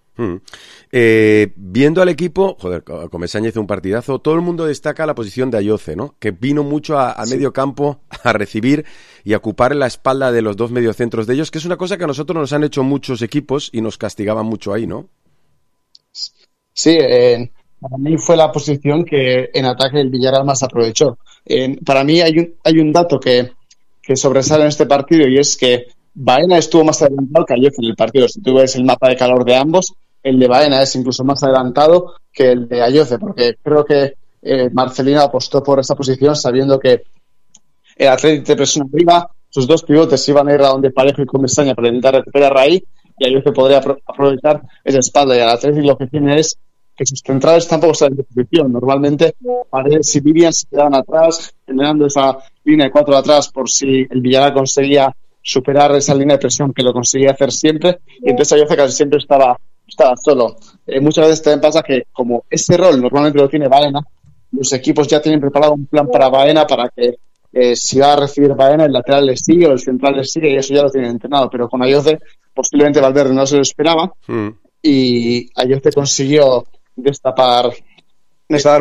Viendo al equipo, joder, Comesaña hizo un partidazo. Todo el mundo destaca la posición de Ayoce, ¿no? Que vino mucho a medio campo a recibir y a ocupar la espalda de los dos mediocentros de ellos, que es una cosa que a nosotros nos han hecho muchos equipos y nos castigaban mucho ahí, ¿no? Sí, para mí fue la posición que en ataque el Villarreal más aprovechó. Para mí hay un dato que sobresale en este partido, y es que Baena estuvo más adelantado que Ayoce en el partido. Si tú ves el mapa de calor de ambos, el de Baena es incluso más adelantado que el de Ayoce, porque creo que Marcelino apostó por esa posición sabiendo que el Athletic te presiona arriba, sus dos pivotes iban a ir a donde Parejo y Comesaña para intentar recuperar ahí, y Ayoce podría aprovechar esa espalda, y el Athletic lo que tiene es que sus centrales tampoco están en posición. Normalmente Paredes y Vivian se quedaban atrás, generando esa línea de 4 atrás por si el Villarreal conseguía superar esa línea de presión, que lo conseguía hacer siempre, y entonces Ayoce casi siempre estaba solo. Muchas veces también pasa que como ese rol normalmente lo tiene Baena, los equipos ya tienen preparado un plan para Baena, para que si va a recibir Baena, el lateral le sigue o el central le sigue, y eso ya lo tienen entrenado. Pero con Ayoce posiblemente Valverde no se lo esperaba, y Ayoce consiguió destapar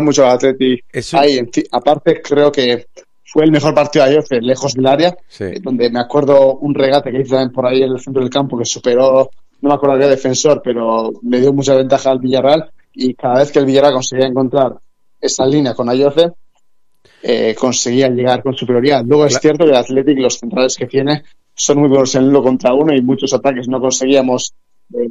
mucho al Atleti. Ahí, aparte, creo que fue el mejor partido de Ayoce lejos del área, donde me acuerdo un regate que hizo también por ahí en el centro del campo que superó, no me acuerdo qué defensor, pero le dio mucha ventaja al Villarreal, y cada vez que el Villarreal conseguía encontrar esa línea con Ayoce, conseguía llegar con superioridad. Luego es cierto que el Athletic, los centrales que tiene, son muy buenos en el 1 contra 1, y muchos ataques no conseguíamos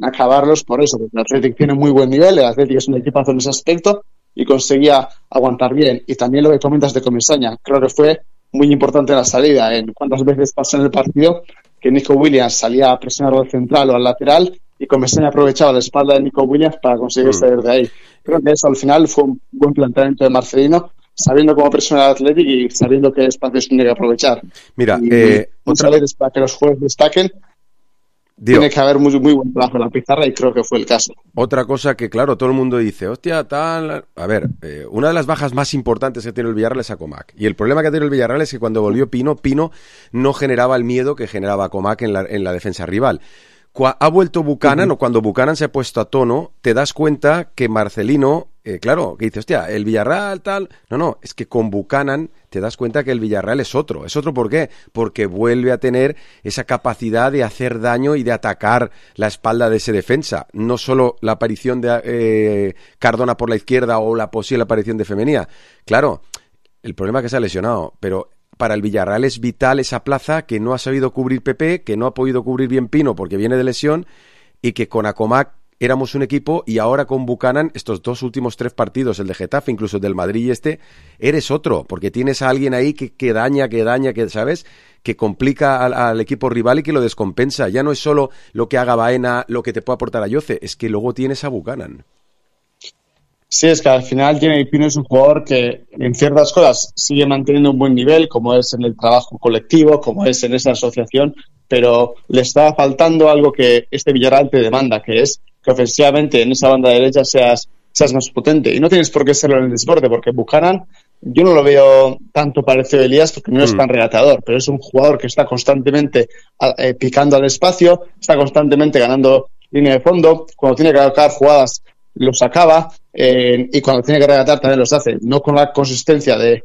acabarlos por eso, porque el Athletic tiene muy buen nivel, el Athletic es un equipazo en ese aspecto y conseguía aguantar bien. Y también lo que comentas de Comesaña, creo que fue muy importante la salida. En cuántas veces pasó en el partido que Nico Williams salía a presionar al central o al lateral y Comesaña aprovechaba la espalda de Nico Williams para conseguir salir de ahí. Creo que eso al final fue un buen planteamiento de Marcelino, sabiendo cómo presionar al Athletic y sabiendo qué espacios tiene que aprovechar. Mira, muchas veces para que los jugadores destaquen, tiene que haber muy buen trabajo en la pizarra, y creo que fue el caso. Otra cosa que, claro, todo el mundo dice, hostia, tal... A ver, una de las bajas más importantes que tiene el Villarreal es a Comac. Y el problema que tiene el Villarreal es que cuando volvió Pino no generaba el miedo que generaba Comac en la defensa rival. Ha vuelto Buchanan, o cuando Buchanan se ha puesto a tono, te das cuenta que Marcelino claro, que dice, hostia, el Villarreal tal... No, es que con Buchanan te das cuenta que el Villarreal es otro. ¿Es otro por qué? Porque vuelve a tener esa capacidad de hacer daño y de atacar la espalda de ese defensa. No solo la aparición de Cardona por la izquierda o la posible aparición de Femenía. Claro, el problema es que se ha lesionado, pero para el Villarreal es vital esa plaza que no ha sabido cubrir Pepe, que no ha podido cubrir bien Pino porque viene de lesión, y que con Acomac éramos un equipo, y ahora con Buchanan, estos 2 últimos 3 partidos, el de Getafe, incluso el del Madrid y eres otro, porque tienes a alguien ahí que daña, que ¿sabes? Que complica al equipo rival y que lo descompensa. Ya no es solo lo que haga Baena, lo que te puede aportar Ayoce, es que luego tienes a Buchanan. Sí, es que al final Jeremy Pino es un jugador que en ciertas cosas sigue manteniendo un buen nivel, como es en el trabajo colectivo, como es en esa asociación, pero le está faltando algo que este Villarreal te demanda, que es que ofensivamente en esa banda derecha seas más potente. Y no tienes por qué serlo en el deporte, porque Buchanan yo no lo veo tanto parecido a Elías porque no es tan regateador, pero es un jugador que está constantemente picando al espacio, está constantemente ganando línea de fondo, cuando tiene que acabar jugadas los acaba, y cuando tiene que regatar también los hace, no con la consistencia de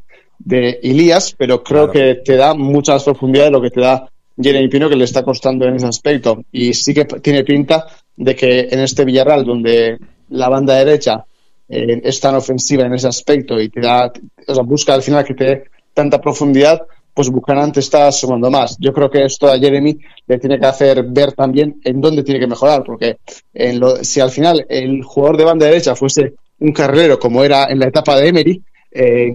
Elías, pero creo que te da mucha más profundidad de lo que te da Jeremy Pino, que le está costando en ese aspecto, y sí que tiene pinta de que en este Villarreal, donde la banda derecha es tan ofensiva en ese aspecto y te da, o sea, busca al final que te dé tanta profundidad, pues Buchanan te está sumando más. Yo creo que esto a Jeremy le tiene que hacer ver también en dónde tiene que mejorar, porque si al final el jugador de banda derecha fuese un carrilero como era en la etapa de Emery,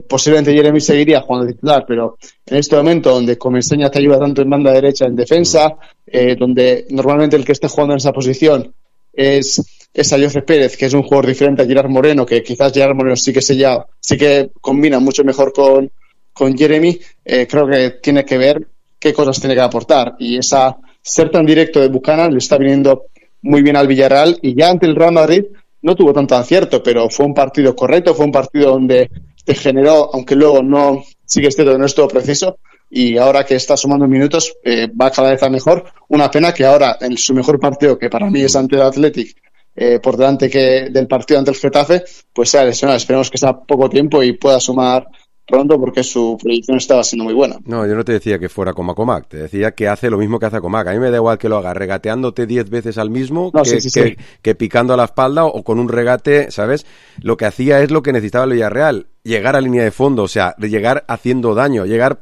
posiblemente Jeremy seguiría jugando de titular, pero en este momento donde Comesaña te ayuda tanto en banda derecha en defensa, donde normalmente el que esté jugando en esa posición es Ayoce Pérez, que es un jugador diferente a Gerard Moreno, que quizás Gerard Moreno sí que combina mucho mejor con Jeremy, creo que tiene que ver qué cosas tiene que aportar, y ser tan directo de Buchanan le está viniendo muy bien al Villarreal, y ya ante el Real Madrid no tuvo tanto acierto, pero fue un partido correcto, fue un partido donde te generó, aunque luego no sigue este no es todo preciso, y ahora que está sumando minutos va cada vez a mejor. Una pena que ahora en su mejor partido, que para mí es ante el Athletic, por delante que del partido ante el Getafe, pues sea lesionado. Esperemos que sea poco tiempo y pueda sumar pronto, porque su proyección estaba siendo muy buena. No, yo no te decía que fuera como Acomac, te decía que hace lo mismo que hace Acomac. A mí me da igual que lo haga regateándote 10 veces al mismo, que picando a la espalda o con un regate, ¿sabes? Lo que hacía es lo que necesitaba el Villarreal, llegar a línea de fondo, o sea, llegar haciendo daño, llegar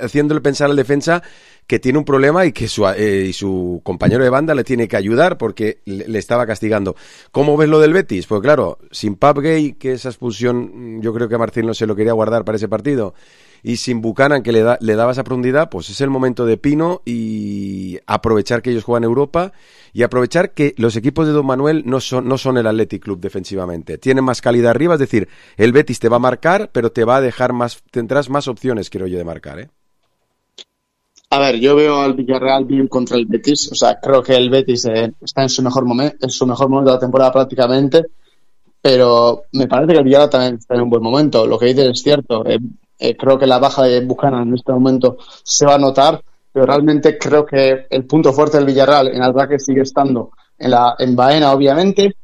haciéndole pensar al defensa que tiene un problema y que su compañero de banda le tiene que ayudar porque le estaba castigando. ¿Cómo ves lo del Betis? Pues claro, sin Pape Gueye, que esa expulsión yo creo que Marcelo se lo quería guardar para ese partido, y sin Buchanan, que le daba esa profundidad, pues es el momento de Pino y aprovechar que ellos juegan Europa y aprovechar que los equipos de Don Manuel no son el Athletic Club defensivamente. Tienen más calidad arriba, es decir, el Betis te va a marcar, pero te va a dejar tendrás más opciones, creo yo, de marcar, ¿eh? A ver, yo veo al Villarreal bien contra el Betis. O sea, creo que el Betis está en su mejor momento de la temporada prácticamente, pero me parece que el Villarreal también está en un buen momento. Lo que dices es cierto. Creo que la baja de Buchanan en este momento se va a notar, pero realmente creo que el punto fuerte del Villarreal en ataque sigue estando en Baena, obviamente,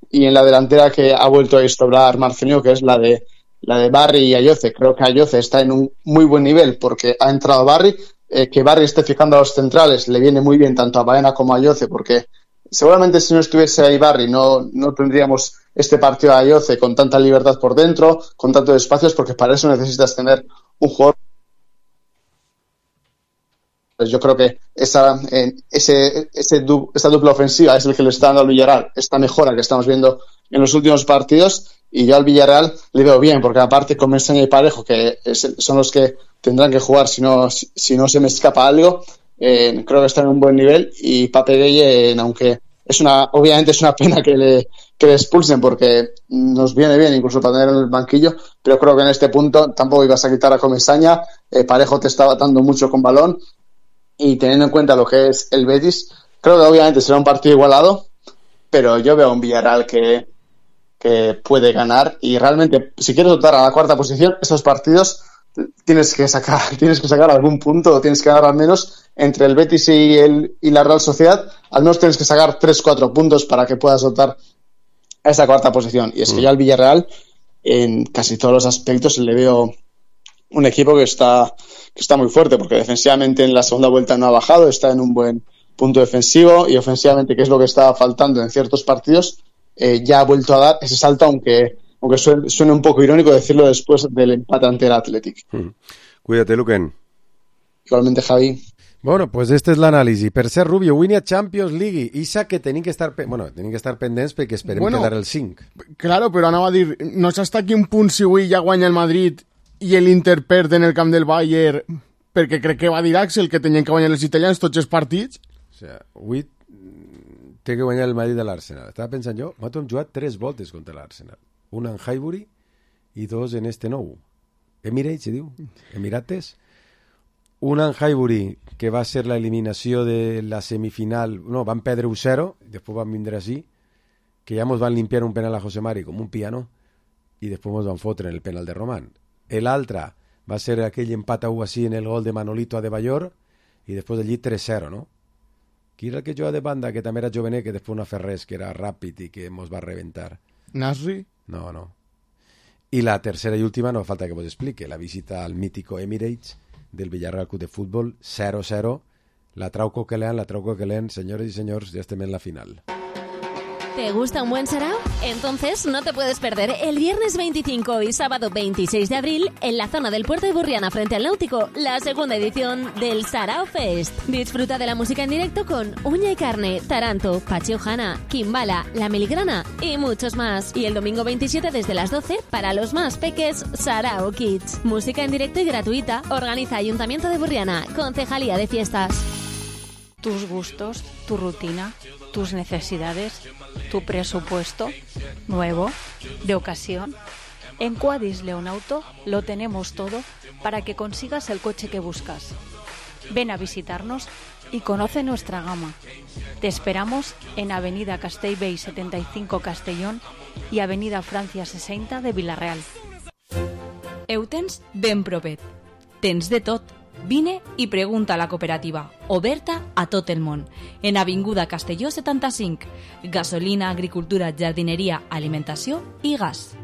y en la delantera que ha vuelto a instaurar Marcelino, que es la de Barry y Ayoce. Creo que Ayoce está en un muy buen nivel porque ha entrado Barry. Que Barry esté fijando a los centrales le viene muy bien tanto a Baena como a Ayoce, porque seguramente si no estuviese ahí Barry no tendríamos este partido de Ayoce con tanta libertad por dentro, con tantos espacios, porque para eso necesitas tener un jugador. Pues yo creo que esa dupla ofensiva es el que le está dando al Villarreal esta mejora que estamos viendo en los últimos partidos, y yo al Villarreal le veo bien, porque aparte con Meseña y Parejo, que son los que tendrán que jugar si no se me escapa algo, creo que están en un buen nivel, y Pape Gueye, aunque obviamente es una pena que le expulsen, porque nos viene bien incluso para tener en el banquillo, pero creo que en este punto tampoco ibas a quitar a Comesaña. Parejo te estaba dando mucho con balón, y teniendo en cuenta lo que es el Betis, creo que obviamente será un partido igualado, pero yo veo a un Villarreal que puede ganar, y realmente si quieres optar a la cuarta posición, esos partidos tienes que sacar algún punto, o tienes que ganar al menos entre el Betis y la Real Sociedad, al menos tienes que sacar 3-4 puntos para que puedas optar a esa cuarta posición. Y es que yo al Villarreal, en casi todos los aspectos, le veo un equipo que está muy fuerte, porque defensivamente en la segunda vuelta no ha bajado, está en un buen punto defensivo, y ofensivamente, que es lo que estaba faltando en ciertos partidos, ya ha vuelto a dar ese salto, aunque suene un poco irónico decirlo después del empate ante el Athletic. Cuídate, Luquen. Igualmente, Javi. Bueno, pues este és l'anàlisi. Per ser Rubio, avui n'hi ha Champions League. Isa que tenim que estar pendents perquè esperem quedar el 5. Claro, però anava a dir, no s'està aquí un punt si avui ja guanya el Madrid i l'Inter perd en el camp del Bayern, perquè crec que va dir Axel que tenien que guanyar els italians tots els partits. O sigui, avui té que guanyar el Madrid de l'Arsenal. Estava pensant jo, nosaltres hem jugat 3 voltes contra l'Arsenal. Una en Highbury i 2 en este nou. Emirates, se diu? Emirates. Una en Highbury, que va ser la eliminació de la semifinal. No, van perdre 1-0, després van vindre així, que ja ens van limpiar un penal a José Mari com un piano, i després ens van fotre en el penal de Román. L'altre va ser aquell empat a 1 així en el gol de Manolito a De Bayor, i després allí 3-0, no? Qui era el que jugava de banda, que també era jovenet, que després no ha fet res, que era ràpid i que ens va reventar? Nasri? No. I la tercera i última, no falta que vos explique, la visita al mítico Emirates del Villarreal Club de Fútbol, 0-0, la trau coquelén, señores y señores, ya estem en la final. ¿Te gusta un buen sarao? Entonces no te puedes perder el viernes 25 y sábado 26 de abril en la zona del Puerto de Burriana frente al Náutico, la segunda edición del Sarao Fest. Disfruta de la música en directo con Uña y Carne, Taranto, Pachi Ojana, Kimbala, La Miligrana y muchos más. Y el domingo 27 desde las 12 para los más peques, Sarao Kids. Música en directo y gratuita. Organiza Ayuntamiento de Burriana, Concejalía de Fiestas. Tus gustos, tu rutina, tus necesidades, tu presupuesto, nuevo, de ocasión. En Quadis Leonauto lo tenemos todo para que consigas el coche que buscas. Ven a visitarnos y conoce nuestra gama. Te esperamos en Avenida Castellbell 75 Castellón y Avenida Francia 60 de Vila-real. Ho tens ben propet. Tens de tot. Vine i pregunta a la cooperativa, oberta a tot el món, en Avinguda Castelló 75, gasolina, agricultura, jardinería, alimentació i gas.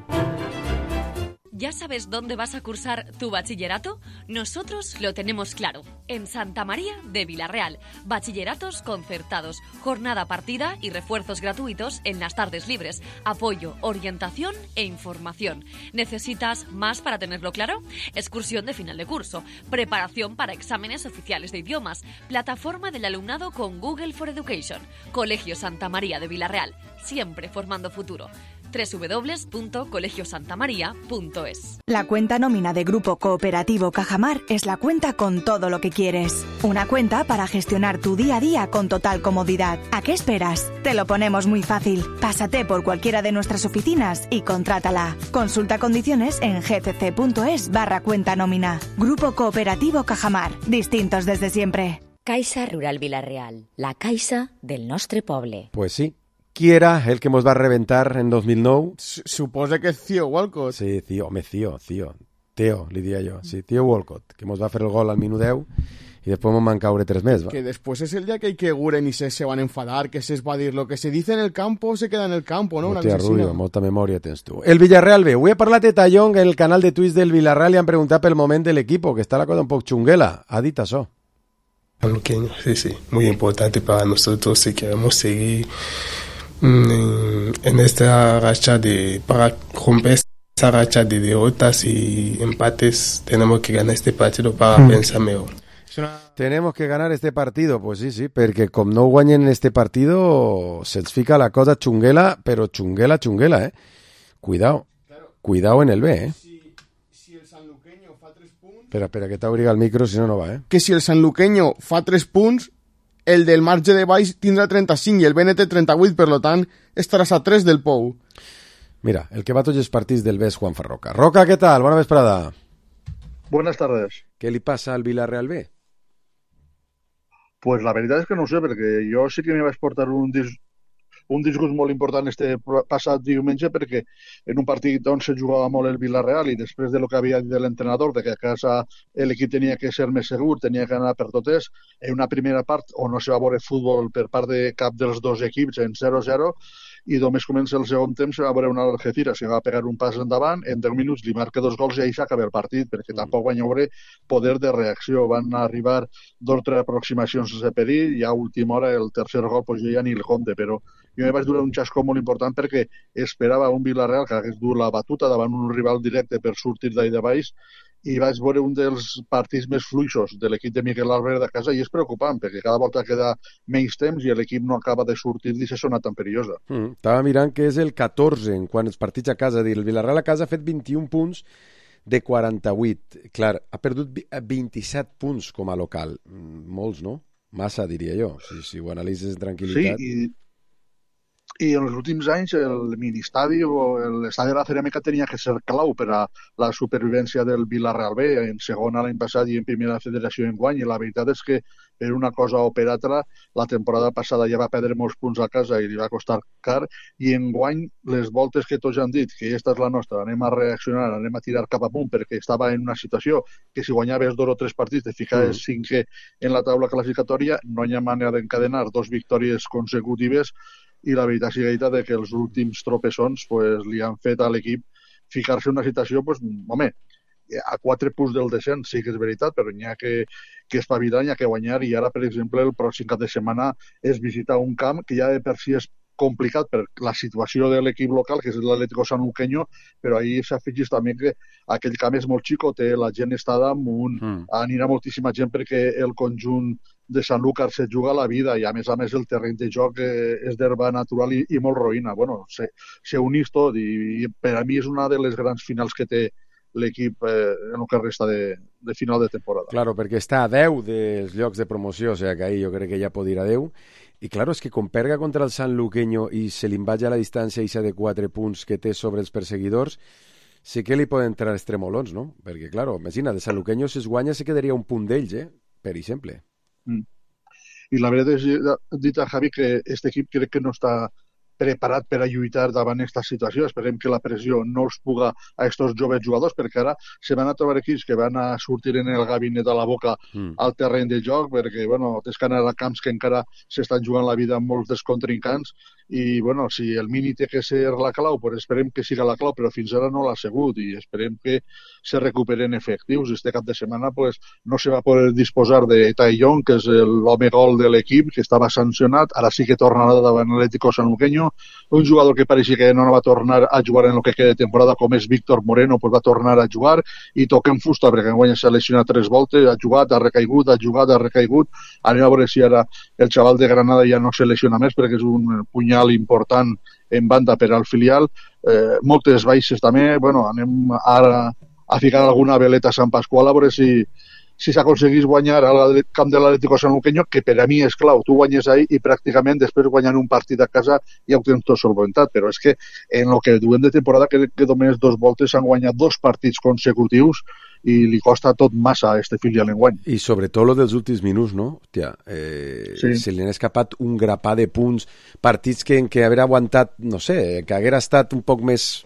¿Ya sabes dónde vas a cursar tu bachillerato? Nosotros lo tenemos claro. En Santa María de Vila-real. Bachilleratos concertados, jornada partida y refuerzos gratuitos en las tardes libres. Apoyo, orientación e información. ¿Necesitas más para tenerlo claro? Excursión de final de curso. Preparación para exámenes oficiales de idiomas. Plataforma del alumnado con Google for Education. Colegio Santa María de Vila-real. Siempre formando futuro. www.colegiosantamaria.es. La cuenta nómina de Grupo Cooperativo Cajamar es la cuenta con todo lo que quieres. Una cuenta para gestionar tu día a día con total comodidad. ¿A qué esperas? Te lo ponemos muy fácil. Pásate por cualquiera de nuestras oficinas y contrátala. Consulta condiciones en gcc.es/cuenta nómina. Grupo Cooperativo Cajamar. Distintos desde siempre. Caixa Rural Vila-real. La caixa del nostre poble. Pues sí. Qui era el que ens va reventar en 2009? Suposa que és Theo Walcott. Sí, Theo, Theo, li diria jo. Sí, Theo Walcott, que ens va fer el gol al minut 10 i després ens van caure 3 més. Va. Que després és el dia que Guren i se van enfadar, que se va dir lo que se dice en el campo se queda en el campo, no? Hòstia, Rubio, molta memòria tens tu. El Villarreal B. Avui he parlat de Tallón en el canal de Twitch del Villarreal i han preguntat pel moment de l'equipo, que està la cosa un poc xunguela. Ha dit això. Sí, muy importante para nosotros si queremos seguir en esta racha para romper esa racha de derrotas y empates. Tenemos que ganar este partido para pensar mejor. Tenemos que ganar este partido, pues sí, perquè com no guanyen este partido se'ls fica la cosa xunguela, però xunguela, Cuidao en el B, Si el sanluqueño fa 3 punts... Espera, que t'obriga el micro, si no, no va, Que si el sanluqueño fa 3 punts, el del marge de baix tindrà 35 i el BNT 38, per lo tant, estaràs a 3 del Pou. Mira, el que va tots els partits del B és Juanfa Roca. Roca, ¿qué tal? Buena vesprada. Buenas tardes. ¿Qué li passa al Villarreal B? Pues la veritat és que no ho sé, perquè jo sí que me vaig portar un disgust molt important este passat diumenge, perquè en un partit on se jugava molt el Villarreal i després de lo que havia dit l'entrenador, de que a casa l'equip tenia que ser més segur, tenia que anar per totes, en una primera part on no se va veure futbol per part de cap dels dos equips en 0-0, i només comença el segon temps va veure una Algeciras que va pegar un pas endavant, en 10 minuts li marca 2 gols i ahir s'acaba el partit, perquè tampoc van haver poder de reacció. Van arribar 2 o 3 aproximacions sense perill i a última hora el tercer gol pues, ja ni el compte, però jo me vaig donar un xascó molt important perquè esperava un Villarreal que hagués dur la batuta davant un rival directe per sortir d'ahí de baix i vaig veure un dels partits més fluixos de l'equip de Miguel Álvarez de casa i és preocupant perquè cada volta queda menys temps i l'equip no acaba de sortir d'aquesta zona tan perillosa. Estava mirant que és el 14 en quant als partits a casa. El Villarreal a casa ha fet 21 punts de 48. Clar, ha perdut 27 punts com a local. Molts, no? Massa, diria jo, si ho analitzes en tranquil·litat. Sí, i en els últims anys el ministadi o l'estadi de la Ceràmica tenia que ser clau per a la supervivència del Villarreal B, en segona l'any passat i en primera federació enguany, i la veritat és que per una cosa o per altra la temporada passada ja va perdre molts punts a casa i li va costar car, i enguany les voltes que tots han dit que aquesta és la nostra, anem a reaccionar, anem a tirar cap amunt perquè estava en una situació que si guanyaves 2 o 3 partits te ficaves 5è en la taula classificatòria, no hi ha manera d'encadenar 2 victòries consecutives i la veritat és de que els últims tropessons pues, li han fet a l'equip ficar-se en una situació, pues, home, a 4 punts del descens, sí que és veritat, però n'hi ha que espavilar, n'hi ha que guanyar, i ara, per exemple, el pròxim cap de setmana és visitar un camp que ja de per si és complicat per la situació de l'equip local, que és l'Atlético Sanluqueño, però ahir s'afegeix també que aquell camp és molt xicotet, la gent està damunt, anirà moltíssima gent perquè el conjunt de Sanlúcar se juga la vida i a més el terreny de joc és d'herba natural i molt roïna. Bueno, se unís tot i per a mi és una de les grans finals que té l'equip en el que resta de final de temporada. Claro, perquè està a 10 dels llocs de promoció, o sigui que ahí jo crec que ja pot ir a 10. I claro, és que com perga contra el Sanluqueño i se li envaja la distància ixa de 4 punts que té sobre els perseguidors, sí que li poden entrar estremolons, no? Perquè, claro, imagina, de Sanluqueño si es guanya se quedaria un punt d'ells, per exemple. I la veritat és dit a Javi que aquest equip crec que no està preparat per a lluitar davant aquesta situació. Esperem que la pressió no els puga a aquests joves jugadors, perquè ara se van a trobar equips que van a sortir en el gabinet a la boca al terreny de joc, perquè bueno, tens que anar a camps que encara s'estan jugant la vida amb molts dels contrincants i bueno, si el mini té que ser la clau, pues esperem que siga la clau, però fins ara no l'ha sigut i esperem que se recuperen efectius. Este cap de setmana pues, no se va poder disposar de Taillon, que és l'home gol de l'equip, que estava sancionat, ara sí que tornarà davant l'Atlético Sanluqueño, un jugador que pareixia que no va tornar a jugar en el que queda de temporada, com és Víctor Moreno, pues va tornar a jugar i toquem fusta, perquè enguany s'ha lesionat 3 voltes, ha jugat, ha recaigut, ha recaigut. Anem a veure si ara el xaval de Granada ja no se lesiona més, perquè és un punyal important en banda per al filial. Moltes baixes també, bueno, anem ara a ficar alguna veleta a Sant Pasqual a veure si s'aconseguís guanyar al camp de l'Atlético Sanluqueño, que per a mi és clau. Tu guanyes ahí i pràcticament després guanyant un partit a casa ja ho tens tot solventat, però és que en el que duem de temporada crec que només 2 voltes s'han guanyat 2 partits consecutius i li costa tot massa a este filial enguany. I sobretot lo dels últims minuts, no? Hòstia, sí. Se li han escapat un grapà de punts, partits que en què haver aguantat, no sé, que haguera estat un poc més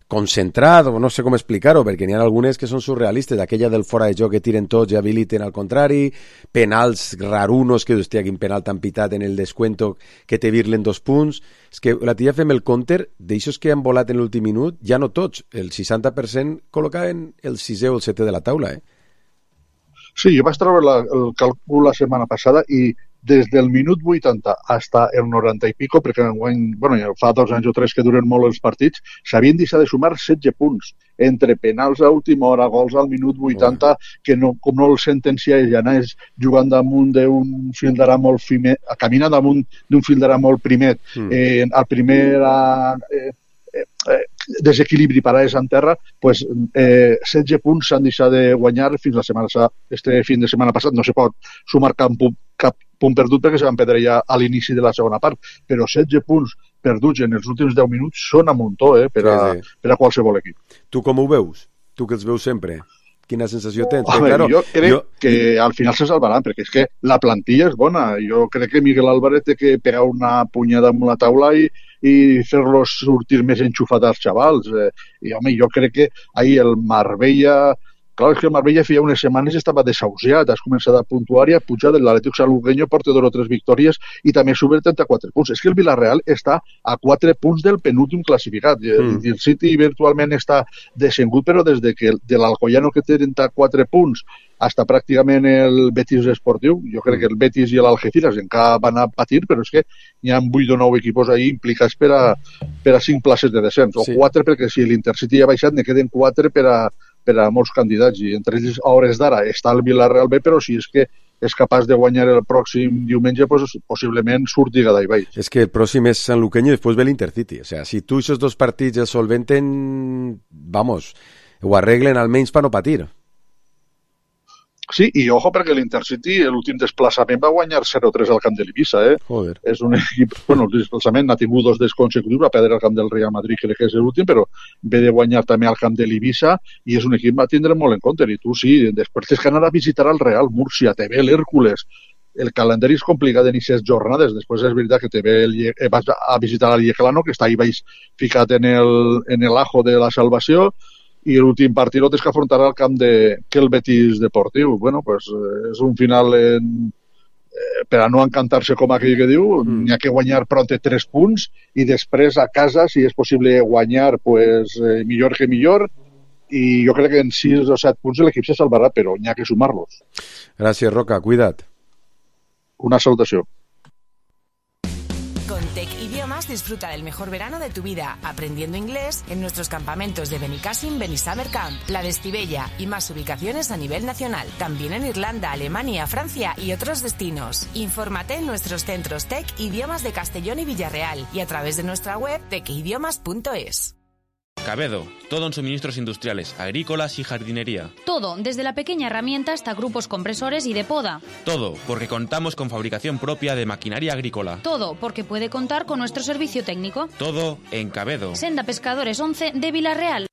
concentrat, o no sé com explicar-ho, perquè n'hi ha algunes que són surrealistes, aquella del fora de joc que tiren tots i habiliten al contrari, penals rarunos, que hòstia, quin penal tan pitat en el descuento que te virlen 2 punts. És que la tia fem el counter d'aixòs que han volat en l'últim minut, ja no tots, el 60% col·locaven el 6è o el 7è de la taula, Sí, jo vaig treure el càlcul la setmana passada i des del minut 80 fins el 90 i pico, perquè bueno, fa 2 anys o 3 que duren molt els partits, s'havien deixat de sumar 16 punts, entre penals a última hora, gols al minut 80, que no, com no el sentencia ell, anaves jugant damunt d'un fil d'ara molt fimet, caminant damunt d'un fil d'ara molt primet, al primer desequilibri parades en terra, pues 16 punts s'han deixat de guanyar fins la setmana, este fin de setmana passat no se pot sumar cap punt perdut perquè se van perdre ja a l'inici de la segona part, però 16 punts perduts en els últims 10 minuts són a muntó per a qualsevol equip. Tu com ho veus? Tu que els veus sempre? Quina sensació tens? Home, jo crec que al final se salvaran, perquè és que la plantilla és bona. Jo crec que Miguel Álvarez té que pegar una punyada amb la taula i fer-los sortir més enxufats als xavals. I, home, jo crec que ahir el Marbella Clar, és que el Marbella feia unes setmanes estava desahuciat, has començat a puntuar i a pujar de l'Atlètic Sanluqueño, porta 2 o 3 victòries i també sube 34 punts. És que el Villarreal està a 4 punts del penúltim classificat. El City virtualment està descengut, però des de que de l'Alcoyano que té 34 punts hasta pràcticament el Betis esportiu, jo crec que el Betis i l'Algeciras encara van a patir, però és que hi ha 8 o 9 equipos ahí implicats per a 5 places de descens, o 4 perquè si l'Intercity ja ha baixat ne queden 4 per a molts candidats, i entre ells a hores d'ara està el Villarreal B, però si és que és capaç de guanyar el pròxim diumenge, pues, possiblement surti d'ahí baix. És que el pròxim és Sanluqueño i després ve l'Intercity. O sea, si tu aquests 2 partits els solventen, vamos, ho arreglen almenys per no patir. Sí, i ojo perquè l'Intercity l'últim desplaçament va guanyar 0-3 al camp de l'Eivissa, Joder. És un equip, bueno, el desplaçament ha tingut 2 consecutius, va perdre al camp del Real Madrid, crec que és l'últim, però ve de guanyar també al camp de l'Eivissa i és un equip que va tindre molt en compte, i tu sí, després tens que anar a visitar el Real Múrcia, te ve l'Hèrcules, el calendari és complicat en aquestes jornades, després és veritat que te ve vas a visitar el Yeclano, que està ahí baix ficat en el ajo de la salvació, i l'últim partit lo tens que afrontar al camp de el Betis Deportiu. Bueno, pues és un final per a no encantar-se com aquell que diu, n'hi ha que guanyar pront 3 punts i després a casa, si és possible guanyar, pues millor que millor, i jo crec que en 6 o 7 punts l'equip se salvarà, però n'hi ha que sumar-los. Gràcies, Roca, cuida't. Una salutació. Con Tech Idiomas disfruta del mejor verano de tu vida, aprendiendo inglés en nuestros campamentos de Benicassim, Benisummer Camp, La de Estivella y más ubicaciones a nivel nacional. También en Irlanda, Alemania, Francia y otros destinos. Infórmate en nuestros centros Tech Idiomas de Castellón y Villarreal y a través de nuestra web techidiomas.es. Cabedo, todo en suministros industriales, agrícolas y jardinería. Todo, desde la pequeña herramienta hasta grupos compresores y de poda. Todo, porque contamos con fabricación propia de maquinaria agrícola. Todo, porque puede contar con nuestro servicio técnico. Todo en Cabedo. Senda Pescadores 11 de Villarreal.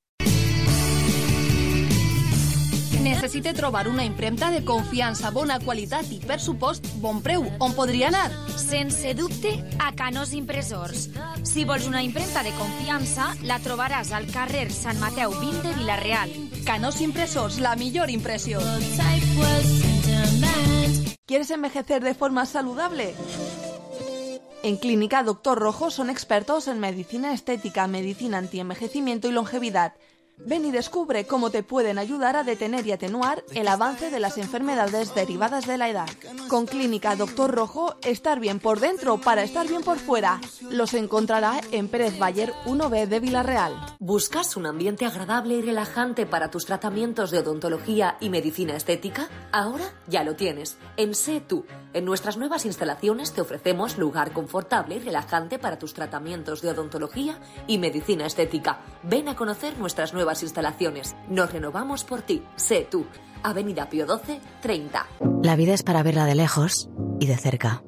Necessite trobar una impremta de confiança, bona qualitat i, per supost, bon preu. On podria anar? Sense dubte, a Canós Impressors. Si vols una impremta de confiança, la trobaràs al carrer Sant Mateu 20 de Villarreal. Canós Impressors, la millor impressió. ¿Quieres envejecer de forma saludable? En Clínica Dr. Rojo son expertos en medicina estética, medicina antienvejecimiento y longevidad. Ven y descubre cómo te pueden ayudar a detener y atenuar el avance de las enfermedades derivadas de la edad. Con Clínica Dr. Rojo, estar bien por dentro para estar bien por fuera. Los encontrará en Pérez Bayer 1B de Villarreal. ¿Buscas un ambiente agradable y relajante para tus tratamientos de odontología y medicina estética? Ahora ya lo tienes. En Sé Tú. En nuestras nuevas instalaciones te ofrecemos lugar confortable y relajante para tus tratamientos de odontología y medicina estética. Ven a conocer nuestras nuevas instalaciones. Nos renovamos por ti. Sé Tú. Avenida Pío XII, 30. La vida es para verla de lejos y de cerca.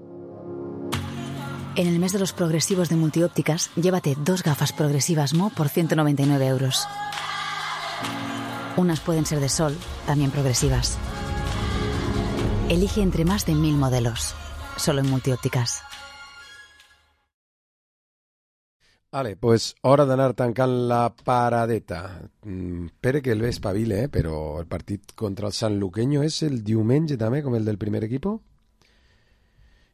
En el mes de los progresivos de Multiópticas, llévate 2 gafas progresivas Mo por 199 euros. Unas pueden ser de sol, también progresivas. Elige entre más de 1000 modelos. Solo en Multiópticas. Vale, pues hora d'anar tancant la paradeta. Espero que el ve espavile, però el partit contra el Sanluqueño és el diumenge també, com el del primer equipo.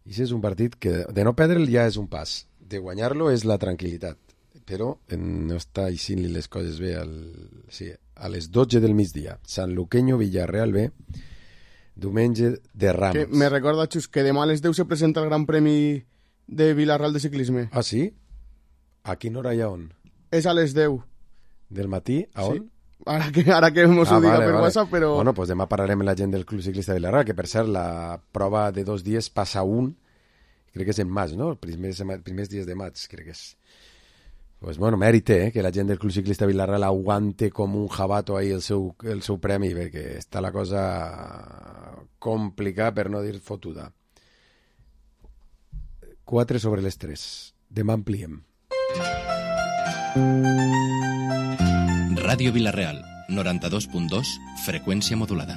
I si és un partit que de no perdre'l ja és un pas. De guanyar-lo és la tranquil·litat. Però no està eixint-li les coses bé a les 12 del migdia. Sanluqueño, Villarreal B, diumenge de Rams. Que me recorda, Xus, que demà a les 10 se presenta el Gran Premi de Villarreal de ciclisme. Ah, sí? A quina hora i a on? És a les 10. Del matí? A on? Sí. Ara que mos ho diga per WhatsApp, però... Bueno, pues demà parlarem amb la gent del Club Ciclista de Villarreal, que per cert, la prova de 2 dies passa un, crec que és en maig, no? Els primers dies de maig, crec que és. Pues bueno, mèrit, que la gent del Club Ciclista de Villarreal aguante com un jabato ahí el seu premi, perquè està la cosa complicada, per no dir fotuda. 4 sobre les 3. Demà ampliem. Ràdio Vilareal, 92.2, freqüència modulada.